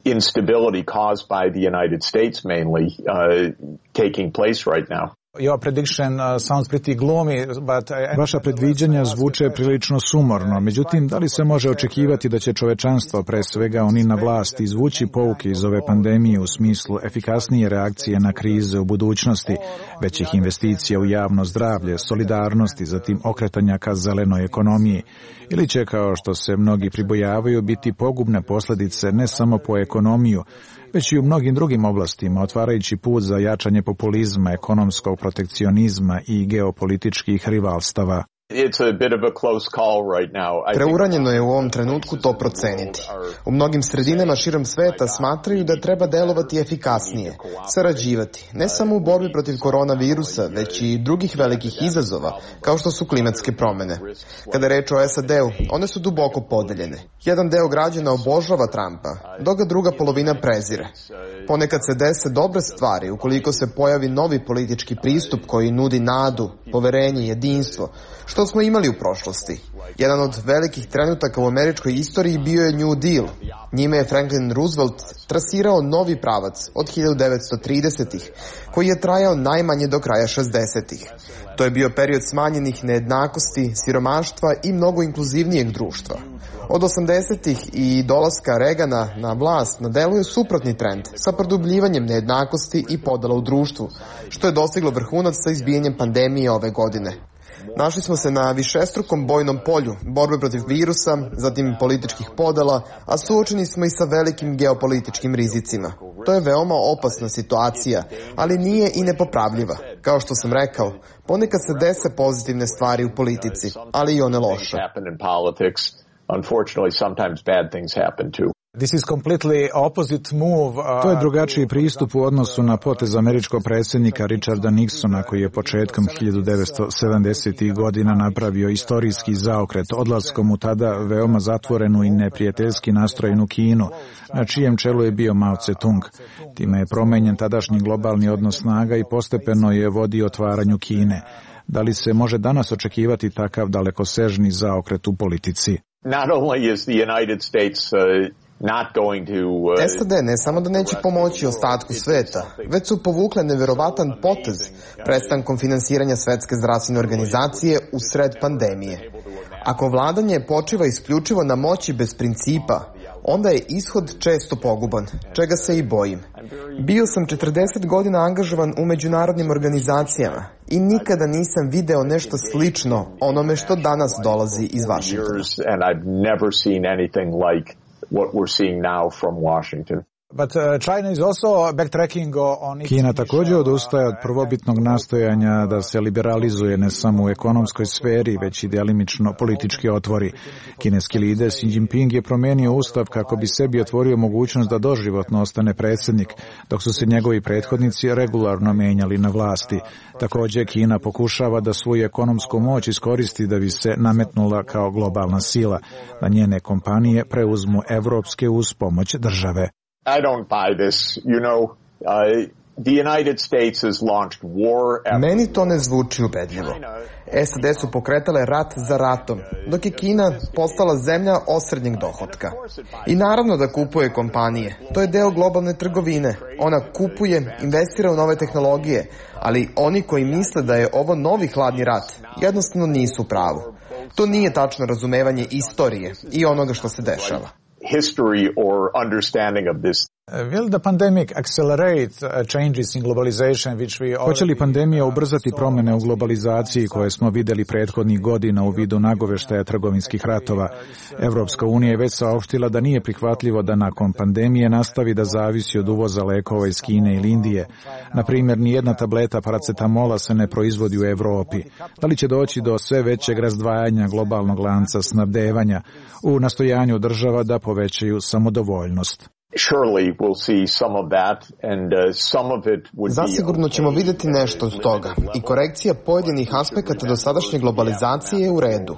Instability caused by the United States mainly uh, taking place right now. Your prediction uh, sounds pretty gloomy, but uh, vaša predviđanja zvuče prilično sumorno. Međutim, da li se može očekivati da će čovečanstvo, pre svega oni na vlasti, izvući pouke iz ove pandemije u smislu efikasnije reakcije na krize u budućnosti, većih investicija u javno zdravlje, solidarnosti, zatim okretanja ka zelenoj ekonomiji, ili će, kao što se mnogi pribojavaju, biti pogubne posljedice ne samo po ekonomiju, već i u mnogim drugim oblastima, otvarajući put za jačanje populizma, ekonomskog protekcionizma i geopolitičkih rivalstava. It's a bit of a close call right now. Preuranjeno je u ovom trenutku to proceniti. U mnogim sredinama širom sveta smatraju da treba delovati efikasnije, sarađivati, ne samo u borbi protiv koronavirusa, već i drugih velikih izazova, kao što su klimatske promjene. Kada je reč o S A D-u, one su duboko podeljene. Jedan deo građana obožava Trumpa, dok ga druga polovina prezire. Ponekad se dese dobre stvari ukoliko se pojavi novi politički pristup koji nudi nadu, poverenje, jedinstvo, što smo imali u prošlosti. Jedan od velikih trenutaka u američkoj istoriji bio je New Deal. Njime je Franklin Roosevelt trasirao novi pravac od hiljadu devetsto tridesetih, koji je trajao najmanje do kraja šezdesetih. To je bio period smanjenih nejednakosti, siromaštva i mnogo inkluzivnijeg društva. Od osamdesetih i dolaska Reagana na vlast na delu je suprotni trend sa produbljivanjem nejednakosti i podela u društvu, što je dostiglo vrhunac sa izbijanjem pandemije ove godine. Našli smo se na višestrukom bojnom polju, borbe protiv virusa, zatim političkih podela, a suočeni smo i sa velikim geopolitičkim rizicima. To je veoma opasna situacija, ali nije i nepopravljiva. Kao što sam rekao, ponekad se dese pozitivne stvari u politici, ali i one loše. Unfortunately, sometimes bad things happen too. This is completely opposite move. Uh, to je drugačiji pristup u odnosu na potez američkog predsjednika Richarda Nixona, koji je početkom hiljadu devetsto sedamdesetih godina napravio istorijski zaokret odlaskom u tada veoma zatvorenu i neprijateljski nastrojenu Kinu, na čijem čelu je bio Mao Tse-tung. Time je promenjen tadašnji globalni odnos snaga i postepeno je vodio otvaranju Kine. Da li se može danas očekivati takav dalekosežni zaokret u politici? Not only is the United States uh, not going to uh, S A D ne samo da neće pomoći ostatku sveta, već su povukle neverovatan potez prestankom finansiranja Svetske zdravstvene organizacije u sred pandemije. Ako vladanje počiva isključivo na moći bez principa, onda je ishod često poguban, čega se i bojim. Bio sam četrdeset godina angažovan u međunarodnim organizacijama i nikada nisam video nešto slično onome što danas dolazi iz Vašingtona. But, uh, China is also backtracking on... Kina također odustaje od prvobitnog nastojanja da se liberalizuje ne samo u ekonomskoj sferi, već i delimično politički otvori. Kineski lider Xi Jinping je promenio ustav kako bi sebi otvorio mogućnost da doživotno ostane predsjednik, dok su se njegovi prethodnici regularno menjali na vlasti. Također Kina pokušava da svoju ekonomsku moć iskoristi da bi se nametnula kao globalna sila, da njene kompanije preuzmu evropske uz pomoć države. I don't buy this. You know, uh, the United States has launched war after... Meni to ne zvuči ubedljivo. S A D su pokretale rat za ratom, dok je Kina postala zemlja osrednjeg dohotka. I naravno da kupuje kompanije. To je deo globalne trgovine. Ona kupuje, investira u nove tehnologije, ali oni koji misle da je ovo novi hladni rat, jednostavno nisu u pravu. To nije tačno razumevanje istorije i onoga što se dešava. History or understanding of this. Will the pandemic accelerate changes in globalization which we... Hoće li pandemija ubrzati promjene u globalizaciji koje smo vidjeli prethodnih godina u vidu nagoveštaja trgovinskih ratova? Evropska unija je već saopštila da nije prihvatljivo da nakon pandemije nastavi da zavisi od uvoza lekova iz Kine ili Indije. Na primjer, nijedna tableta paracetamola se ne proizvodi u Evropi. Da li će doći do sve većeg razdvajanja globalnog lanca snabdevanja u nastojanju država da povećaju samodovoljnost? Surely we'll see some of that and uh, some of it would be... Zasigurno ćemo vidjeti nešto od toga i korekcija pojedinih aspekata dosadašnje globalizacije je u redu.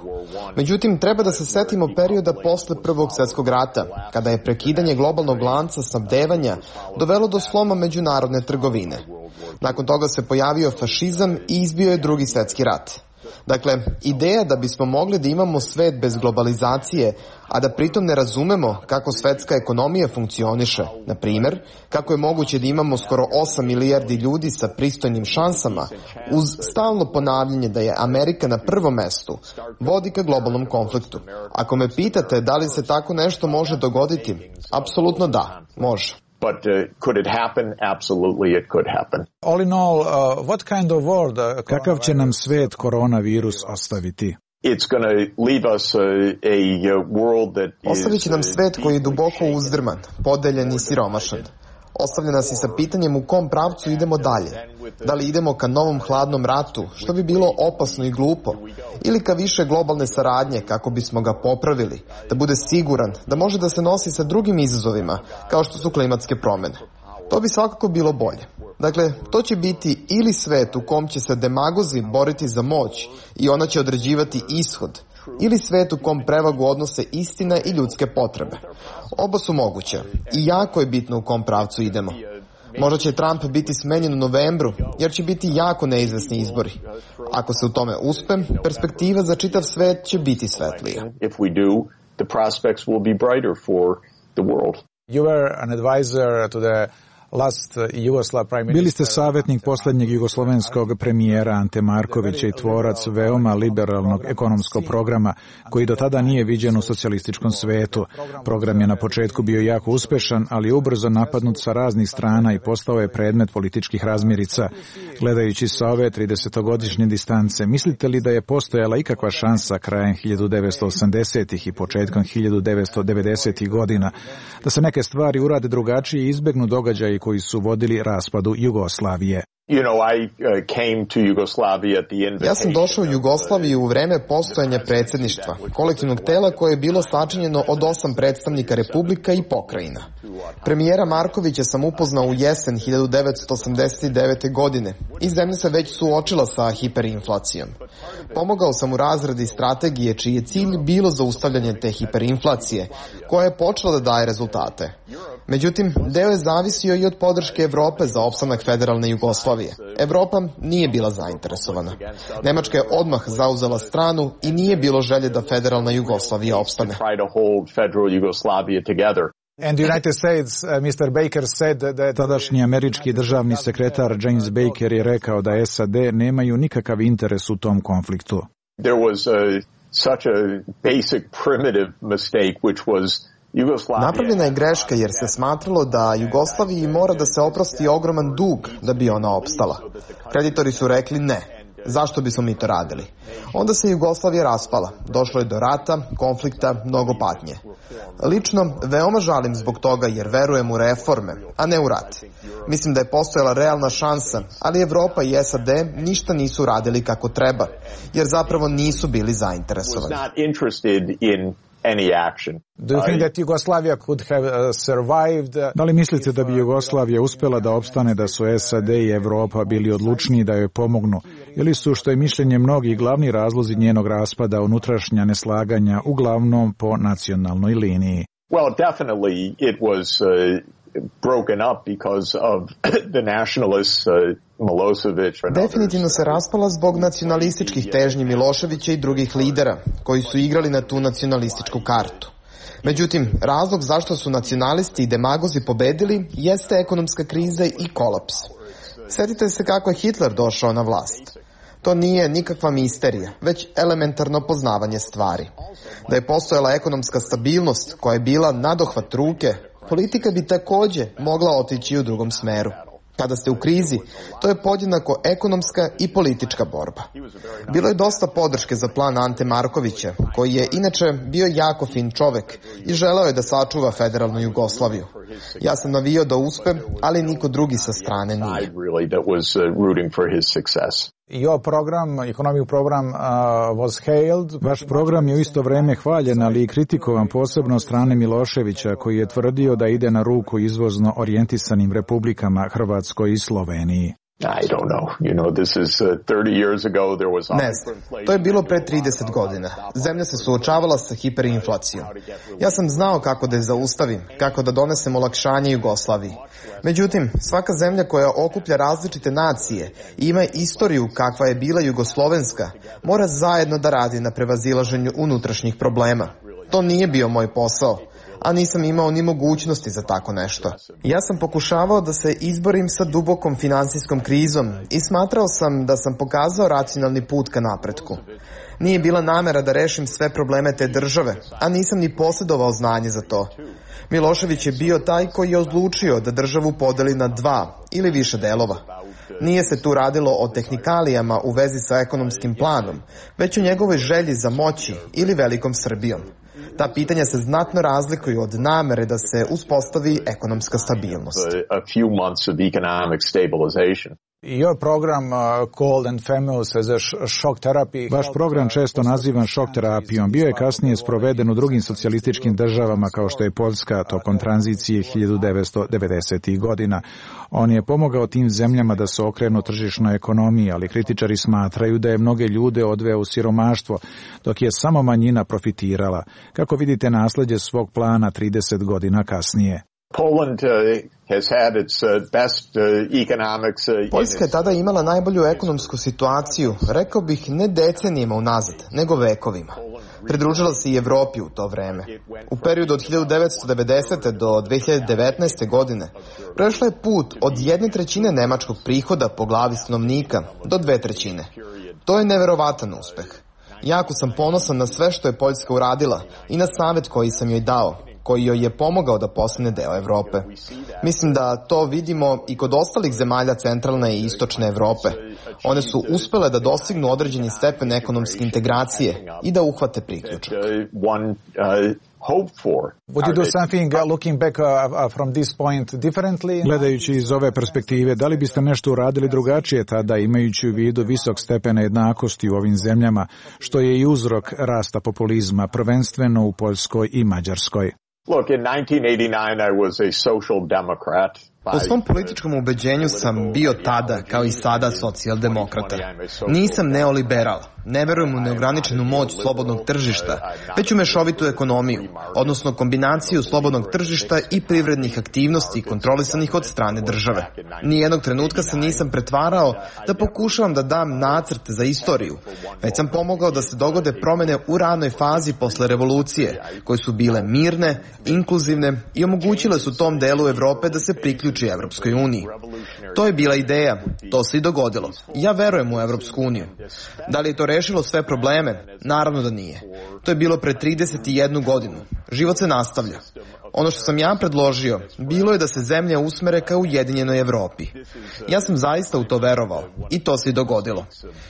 Međutim, treba da se setimo perioda posle Prvog svjetskog rata, kada je prekidanje globalnog lanca snabdevanja dovelo do sloma međunarodne trgovine. Nakon toga se pojavio fašizam i izbio je Drugi svjetski rat. Dakle, ideja da bismo mogli da imamo svet bez globalizacije, a da pritom ne razumemo kako svetska ekonomija funkcioniše, na primjer, kako je moguće da imamo skoro osam milijardi ljudi sa pristojnim šansama, uz stalno ponavljanje da je Amerika na prvom mestu, vodi ka globalnom konfliktu. Ako me pitate da li se tako nešto može dogoditi, apsolutno da, može. But uh, could it happen? Absolutely it could happen. All in all, uh, what kind of world, uh, kakav će nam svet koronavirus ostaviti? It's going to leave us a, a world that is... Ostavit će nam svet koji je duboko uzdrman, podeljen i siromašan. Ostavlja nas i sa pitanjem u kom pravcu idemo dalje. Da li idemo ka novom hladnom ratu, što bi bilo opasno i glupo, ili ka više globalne saradnje kako bismo ga popravili, da bude siguran, da može da se nosi sa drugim izazovima, kao što su klimatske promjene. To bi svakako bilo bolje. Dakle, to će biti ili svet u kom će se demagozi boriti za moć i ona će određivati ishod, ili svet u kom prevagu odnose istina i ljudske potrebe. Oba su moguće i jako je bitno u kom pravcu idemo. Možda će Trump biti smenjen u novembru, jer će biti jako neizvesni izbori. Ako se u tome uspe, perspektiva za čitav svet će biti svetlija. If we do, the prospects will be brighter for the world. You were an advisor to the last Yugoslav prime minister. Bili ste savjetnik posljednjeg jugoslovenskog premijera Ante Markovića i tvorac veoma liberalnog ekonomskog programa koji do tada nije viđen u socijalističkom svetu. Program je na početku bio jako uspešan, ali ubrzo napadnut sa raznih strana i postao je predmet političkih razmirica. Gledajući sa ove tridesetogodišnje distance, mislite li da je postojala ikakva šansa krajem hiljadu devetsto osamdesetih i početkom hiljadu devetsto devedesetih godina da se neke stvari urade drugačije i izbegnu događaji koji su vodili raspadu Jugoslavije? You know, I uh, came to Yugoslavia at the invitation. Ja sam došao u Jugoslaviju u vreme postojanja predsjedništva, kolektivnog tela koje je bilo sačinjeno od osam predstavnika republika i pokrajina. Premijera Markovića sam upoznao u jesen hiljadu devetsto osamdeset devete. godine i zemlja se već suočila sa hiperinflacijom. Pomogao sam u razradi strategije čiji je cilj bilo zaustavljanje te hiperinflacije, koja je počela da daje rezultate. Međutim, deo je zavisio i od podrške Evrope za opstanak federalne Jugoslavije. Evropa nije bila zainteresovana. Nemačka je odmah zauzela stranu i nije bilo želje da federalna Jugoslavija opstane. And the United States, uh, mister Baker said that... Tadašnji američki državni sekretar James Baker je rekao da S A D nemaju nikakav interes u tom konfliktu. There was a, such a basic primitive mistake which was Napravljena je greška jer se smatralo da Jugoslaviji mora da se oprosti ogroman dug da bi ona opstala. Kreditori su rekli ne. Zašto bismo mi to radili? Onda se Jugoslavija raspala. Došlo je do rata, konflikta, mnogo patnje. Lično, veoma žalim zbog toga jer verujem u reforme, a ne u rat. Mislim da je postojala realna šansa, ali Evropa i S A D ništa nisu radili kako treba, jer zapravo nisu bili zainteresovani. Any action. Do you think that Yugoslavia could have uh, survived? Da li mislite da bi Jugoslavija uspela da opstane da su S A D i Evropa bili odlučniji da joj pomognu? Ili su, što je mišljenje mnogih, glavni razlozi njenog raspada unutrašnja neslaganja uglavnom po nacionalnoj liniji? Well, definitely it was uh, broken up because of the nationalists, uh, Milosevic. Definitivno se raspala zbog nacionalističkih težnji Miloševića i drugih lidera koji su igrali na tu nacionalističku kartu. Međutim, razlog zašto su nacionalisti i demagozi pobedili jeste ekonomska kriza i kolaps. Sjetite se kako je Hitler došao na vlast. To nije nikakva misterija, već elementarno poznavanje stvari. Da je postojala ekonomska stabilnost koja je bila nadohvat ruke, politika bi također mogla otići u drugom smeru. Kada ste u krizi, to je podjednako ekonomska i politička borba. Bilo je dosta podrške za plan Ante Markovića, koji je inače bio jako fin čovek i želeo je da sačuva federalnu Jugoslaviju. Ja sam navio da uspe, ali niko drugi sa strane nije. Your program, economic program uh, was hailed. Vaš program je u isto vreme hvaljen, ali i kritikovan posebno od strane Miloševića, koji je tvrdio da ide na ruku izvozno orijentisanim republikama Hrvatskoj i Sloveniji. I don't know. You know, this is uh, thirty years ago there was Ne znam, to je bilo pre trideset godina. Zemlja se suočavala sa hiperinflacijom. Ja sam znao kako da je zaustavim, kako da donesem olakšanje Jugoslaviji. Međutim, svaka zemlja koja okuplja različite nacije i ima istoriju kakva je bila jugoslovenska, mora zajedno da radi na prevazilaženju unutrašnjih problema. To nije bio moj posao, a nisam imao ni mogućnosti za tako nešto. Ja sam pokušavao da se izborim sa dubokom finansijskom krizom i smatrao sam da sam pokazao racionalni put ka napretku. Nije bila namera da rešim sve probleme te države, a nisam ni posjedovao znanje za to. Milošević je bio taj koji je odlučio da državu podeli na dva ili više delova. Nije se tu radilo o tehnikalijama u vezi sa ekonomskim planom, već o njegovoj želji za moći ili velikom Srbijom. Ta pitanja se znatno razlikuju od namere da se uspostavi ekonomska stabilnost. Your program uh, called and famous as a shock therapy. Vaš program često nazivan šok terapijom. Bio je kasnije sproveden u drugim socijalističkim državama kao što je Poljska tokom tranzicije hiljadu devetsto devedesetih godina. On je pomogao tim zemljama da se okrenu tržišnoj ekonomiji, ali kritičari smatraju da je mnoge ljude odveo u siromaštvo, dok je samo manjina profitirala. Kako vidite nasleđe svog plana trideset godina kasnije? Poland uh, has had its uh, best uh, economics. Uh, Poljska je tada imala najbolju ekonomsku situaciju, rekao bih ne decenijima unazad, nego vekovima. Pridružila se i Evropi u to vreme. U periodu od hiljadu devetsto devedesete do dve hiljade devetnaeste. godine prešla je put od jedne trećine nemačkog prihoda po glavi stanovnika do dve trećine. To je neverovatan uspeh. Jako sam ponosan na sve što je Poljska uradila i na savjet koji sam joj dao, koji joj je pomogao da postane deo Evrope. Mislim da to vidimo i kod ostalih zemalja centralne i istočne Evrope. One su uspele da dostignu određeni stepen ekonomske integracije i da uhvate priključak. Would you do something uh, looking back uh, uh, from this point differently? Gledajući iz ove perspektive, da li biste nešto uradili drugačije tada, imajući u vidu visok stepen jednakosti u ovim zemljama, što je i uzrok rasta populizma, prvenstveno u Poljskoj i Mađarskoj? Look, in nineteen eighty-nine I was a social democrat. Po svom političkom ubeđenju sam bio tada, kao i sada, socijaldemokrata. Nisam neoliberal. Ne verujem u neograničenu moć slobodnog tržišta, već u mešovitu ekonomiju, odnosno kombinaciju slobodnog tržišta i privrednih aktivnosti kontrolisanih od strane države. Nijednog trenutka se nisam pretvarao da pokušavam da dam nacrt za istoriju, već sam pomogao da se dogode promene u ranoj fazi posle revolucije, koje su bile mirne, inkluzivne i omogućile su tom delu Evrope da se priključi Evropskoj uniji. To je bila ideja, to se i dogodilo. Ja verujem u Evropsku uniju. Da li je to rešilo sve probleme? Naravno da nije. To je bilo pre trideset jednu godinu. Život se nastavlja. Ono što sam ja predložio, bilo je da se zemlje usmere ka ujedinjenoj Evropi. Ja sam zaista u to verovao i to se i dogodilo.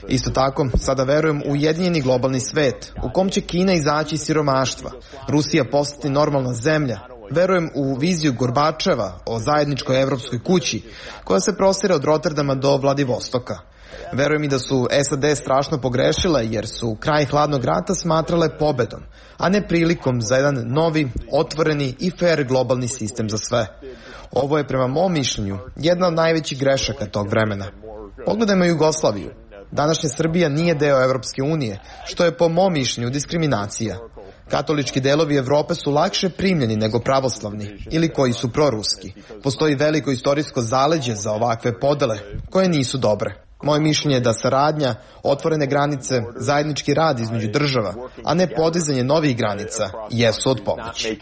Isto tako, sada verujem u ujedinjeni globalni svet, u kom će Kina izaći iz siromaštva, Rusija postati normalna zemlja. Verujem u viziju Gorbačeva o zajedničkoj evropskoj kući, koja se prostire od Rotterdama do Vladivostoka. Verujem i da su S A D strašno pogrešile jer su kraj hladnog rata smatrale pobedom, a ne prilikom za jedan novi, otvoreni i fair globalni sistem za sve. Ovo je prema mom mišljenju jedna od najvećih grešaka tog vremena. Pogledajmo Jugoslaviju. Današnja Srbija nije deo Evropske unije, što je po mom mišljenju diskriminacija. Katolički delovi Evrope su lakše primljeni nego pravoslavni ili koji su proruski. Postoji veliko istorijsko zaleđe za ovakve podele koje nisu dobre. Moje mišljenje je da saradnja, otvorene granice, zajednički rad između država, a ne podizanje novih granica, jesu od pomoći.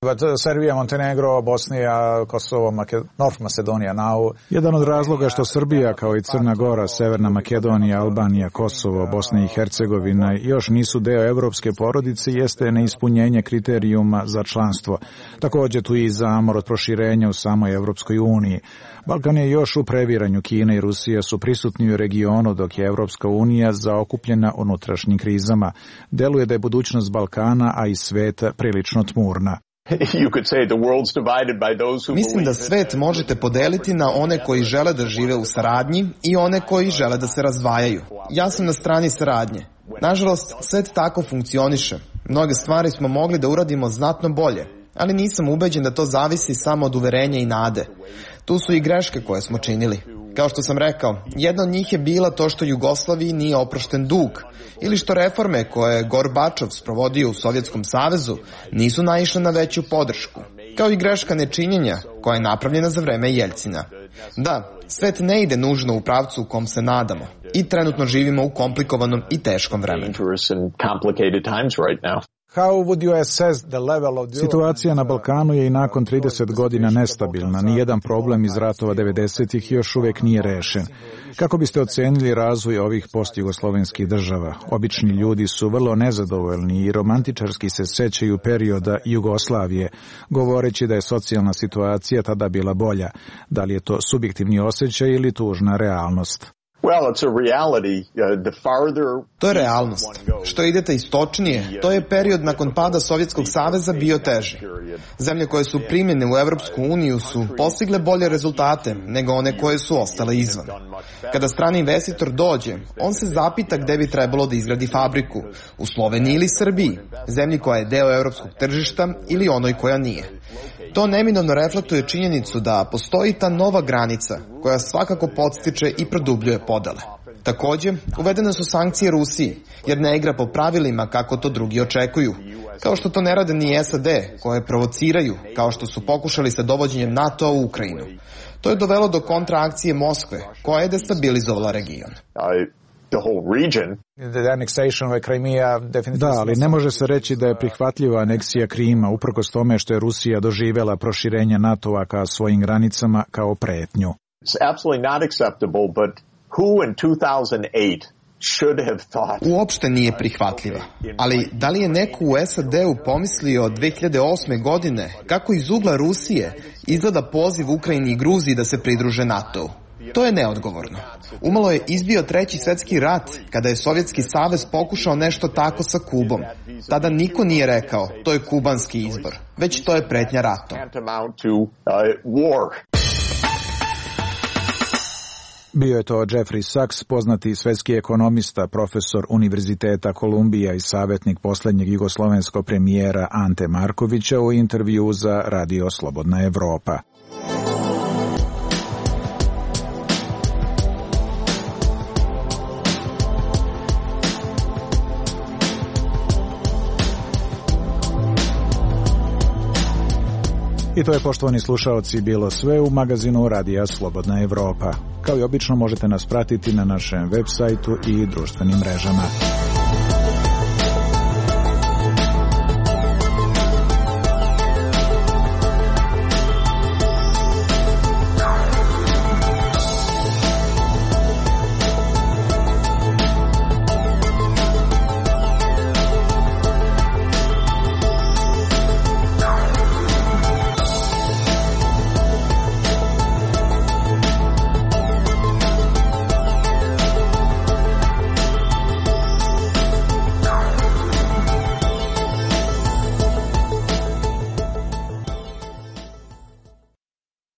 But Serbia, Montenegro, Bosnija, Kosovo, Maked... North Macedonia now. Jedan od razloga što Srbija, kao i Crna Gora, Severna Makedonija, Albanija, Kosovo, Bosna i Hercegovina još nisu deo evropske porodice jeste neispunjenje kriterijuma za članstvo. Također tu i zamor od proširenja u samoj Evropskoj uniji. Balkan je još u previranju. Kina i Rusija su prisutni u regionu, dok je Evropska unija zaokupljena unutrašnjim krizama. Deluje da je budućnost Balkana, a i sveta, prilično tmurna. Mislim da svet možete podeliti na one koji žele da žive u saradnji i one koji žele da se razdvajaju. Ja sam na strani saradnje. Nažalost, svet tako funkcioniše. Mnoge stvari smo mogli da uradimo znatno bolje, ali nisam ubeđen da to zavisi samo od uverenja i nade. Tu su i greške koje smo činili. Kao što sam rekao, jedna od njih je bila to što Jugoslaviji nije oprošten dug, ili što reforme koje je Gorbačov sprovodio u Sovjetskom savezu nisu naišle na veću podršku, kao i greška nečinjenja koja je napravljena za vreme Jeljcina. Da, svet ne ide nužno u pravcu u kom se nadamo i trenutno živimo u komplikovanom i teškom vremenu. Situacija na Balkanu je i nakon trideset godina nestabilna. Nijedan problem iz ratova devedesetih još uvijek nije rešen. Kako biste ocenili razvoj ovih postjugoslovenskih država? Obični ljudi su vrlo nezadovoljni i romantičarski se sećaju perioda Jugoslavije, govoreći da je socijalna situacija tada bila bolja. Da li je to subjektivni osjećaj ili tužna realnost? To je realnost. Što idete istočnije, to je period nakon pada Sovjetskog saveza bio teži. Zemlje koje su primljene u Evropsku uniju su postigle bolje rezultate nego one koje su ostale izvan. Kada strani investitor dođe, on se zapita gde bi trebalo da izgradi fabriku, u Sloveniji ili Srbiji, zemlji koja je deo evropskog tržišta ili onoj koja nije. To neminovno reflektuje činjenicu da postoji ta nova granica koja svakako podstiče i produbljuje podele. Također, uvedene su sankcije Rusiji, jer ne igra po pravilima kako to drugi očekuju. Kao što to ne rade ni S A D, koje provociraju, kao što su pokušali sa dovođenjem NATO u Ukrajinu. To je dovelo do kontraakcije Moskve, koja je destabilizovala region. Da, ali ne može se reći da je prihvatljiva aneksija Krima, uprkos tome što je Rusija doživjela proširenje NATO-a ka svojim granicama kao pretnju. Uopšte nije prihvatljiva. Ali da li je neko u S A D-u pomislio dve hiljade osme. godine kako iz ugla Rusije izgleda poziv Ukrajini i Gruziji da se pridruže NATO-u? To je neodgovorno. Umalo je izbio treći svjetski rat kada je Sovjetski savez pokušao nešto tako sa Kubom. Tada niko nije rekao to je kubanski izbor, već to je pretnja ratom. Bio je to Jeffrey Sachs, poznati svetski ekonomista, profesor Univerziteta Kolumbija i savjetnik posljednjeg jugoslovenskog premijera Ante Markovića u intervju za Radio Slobodna Evropa. I to je, poštovani slušaoci, bilo sve u magazinu Radija Slobodna Evropa. Kao i obično možete nas pratiti na našem web sajtu i društvenim mrežama.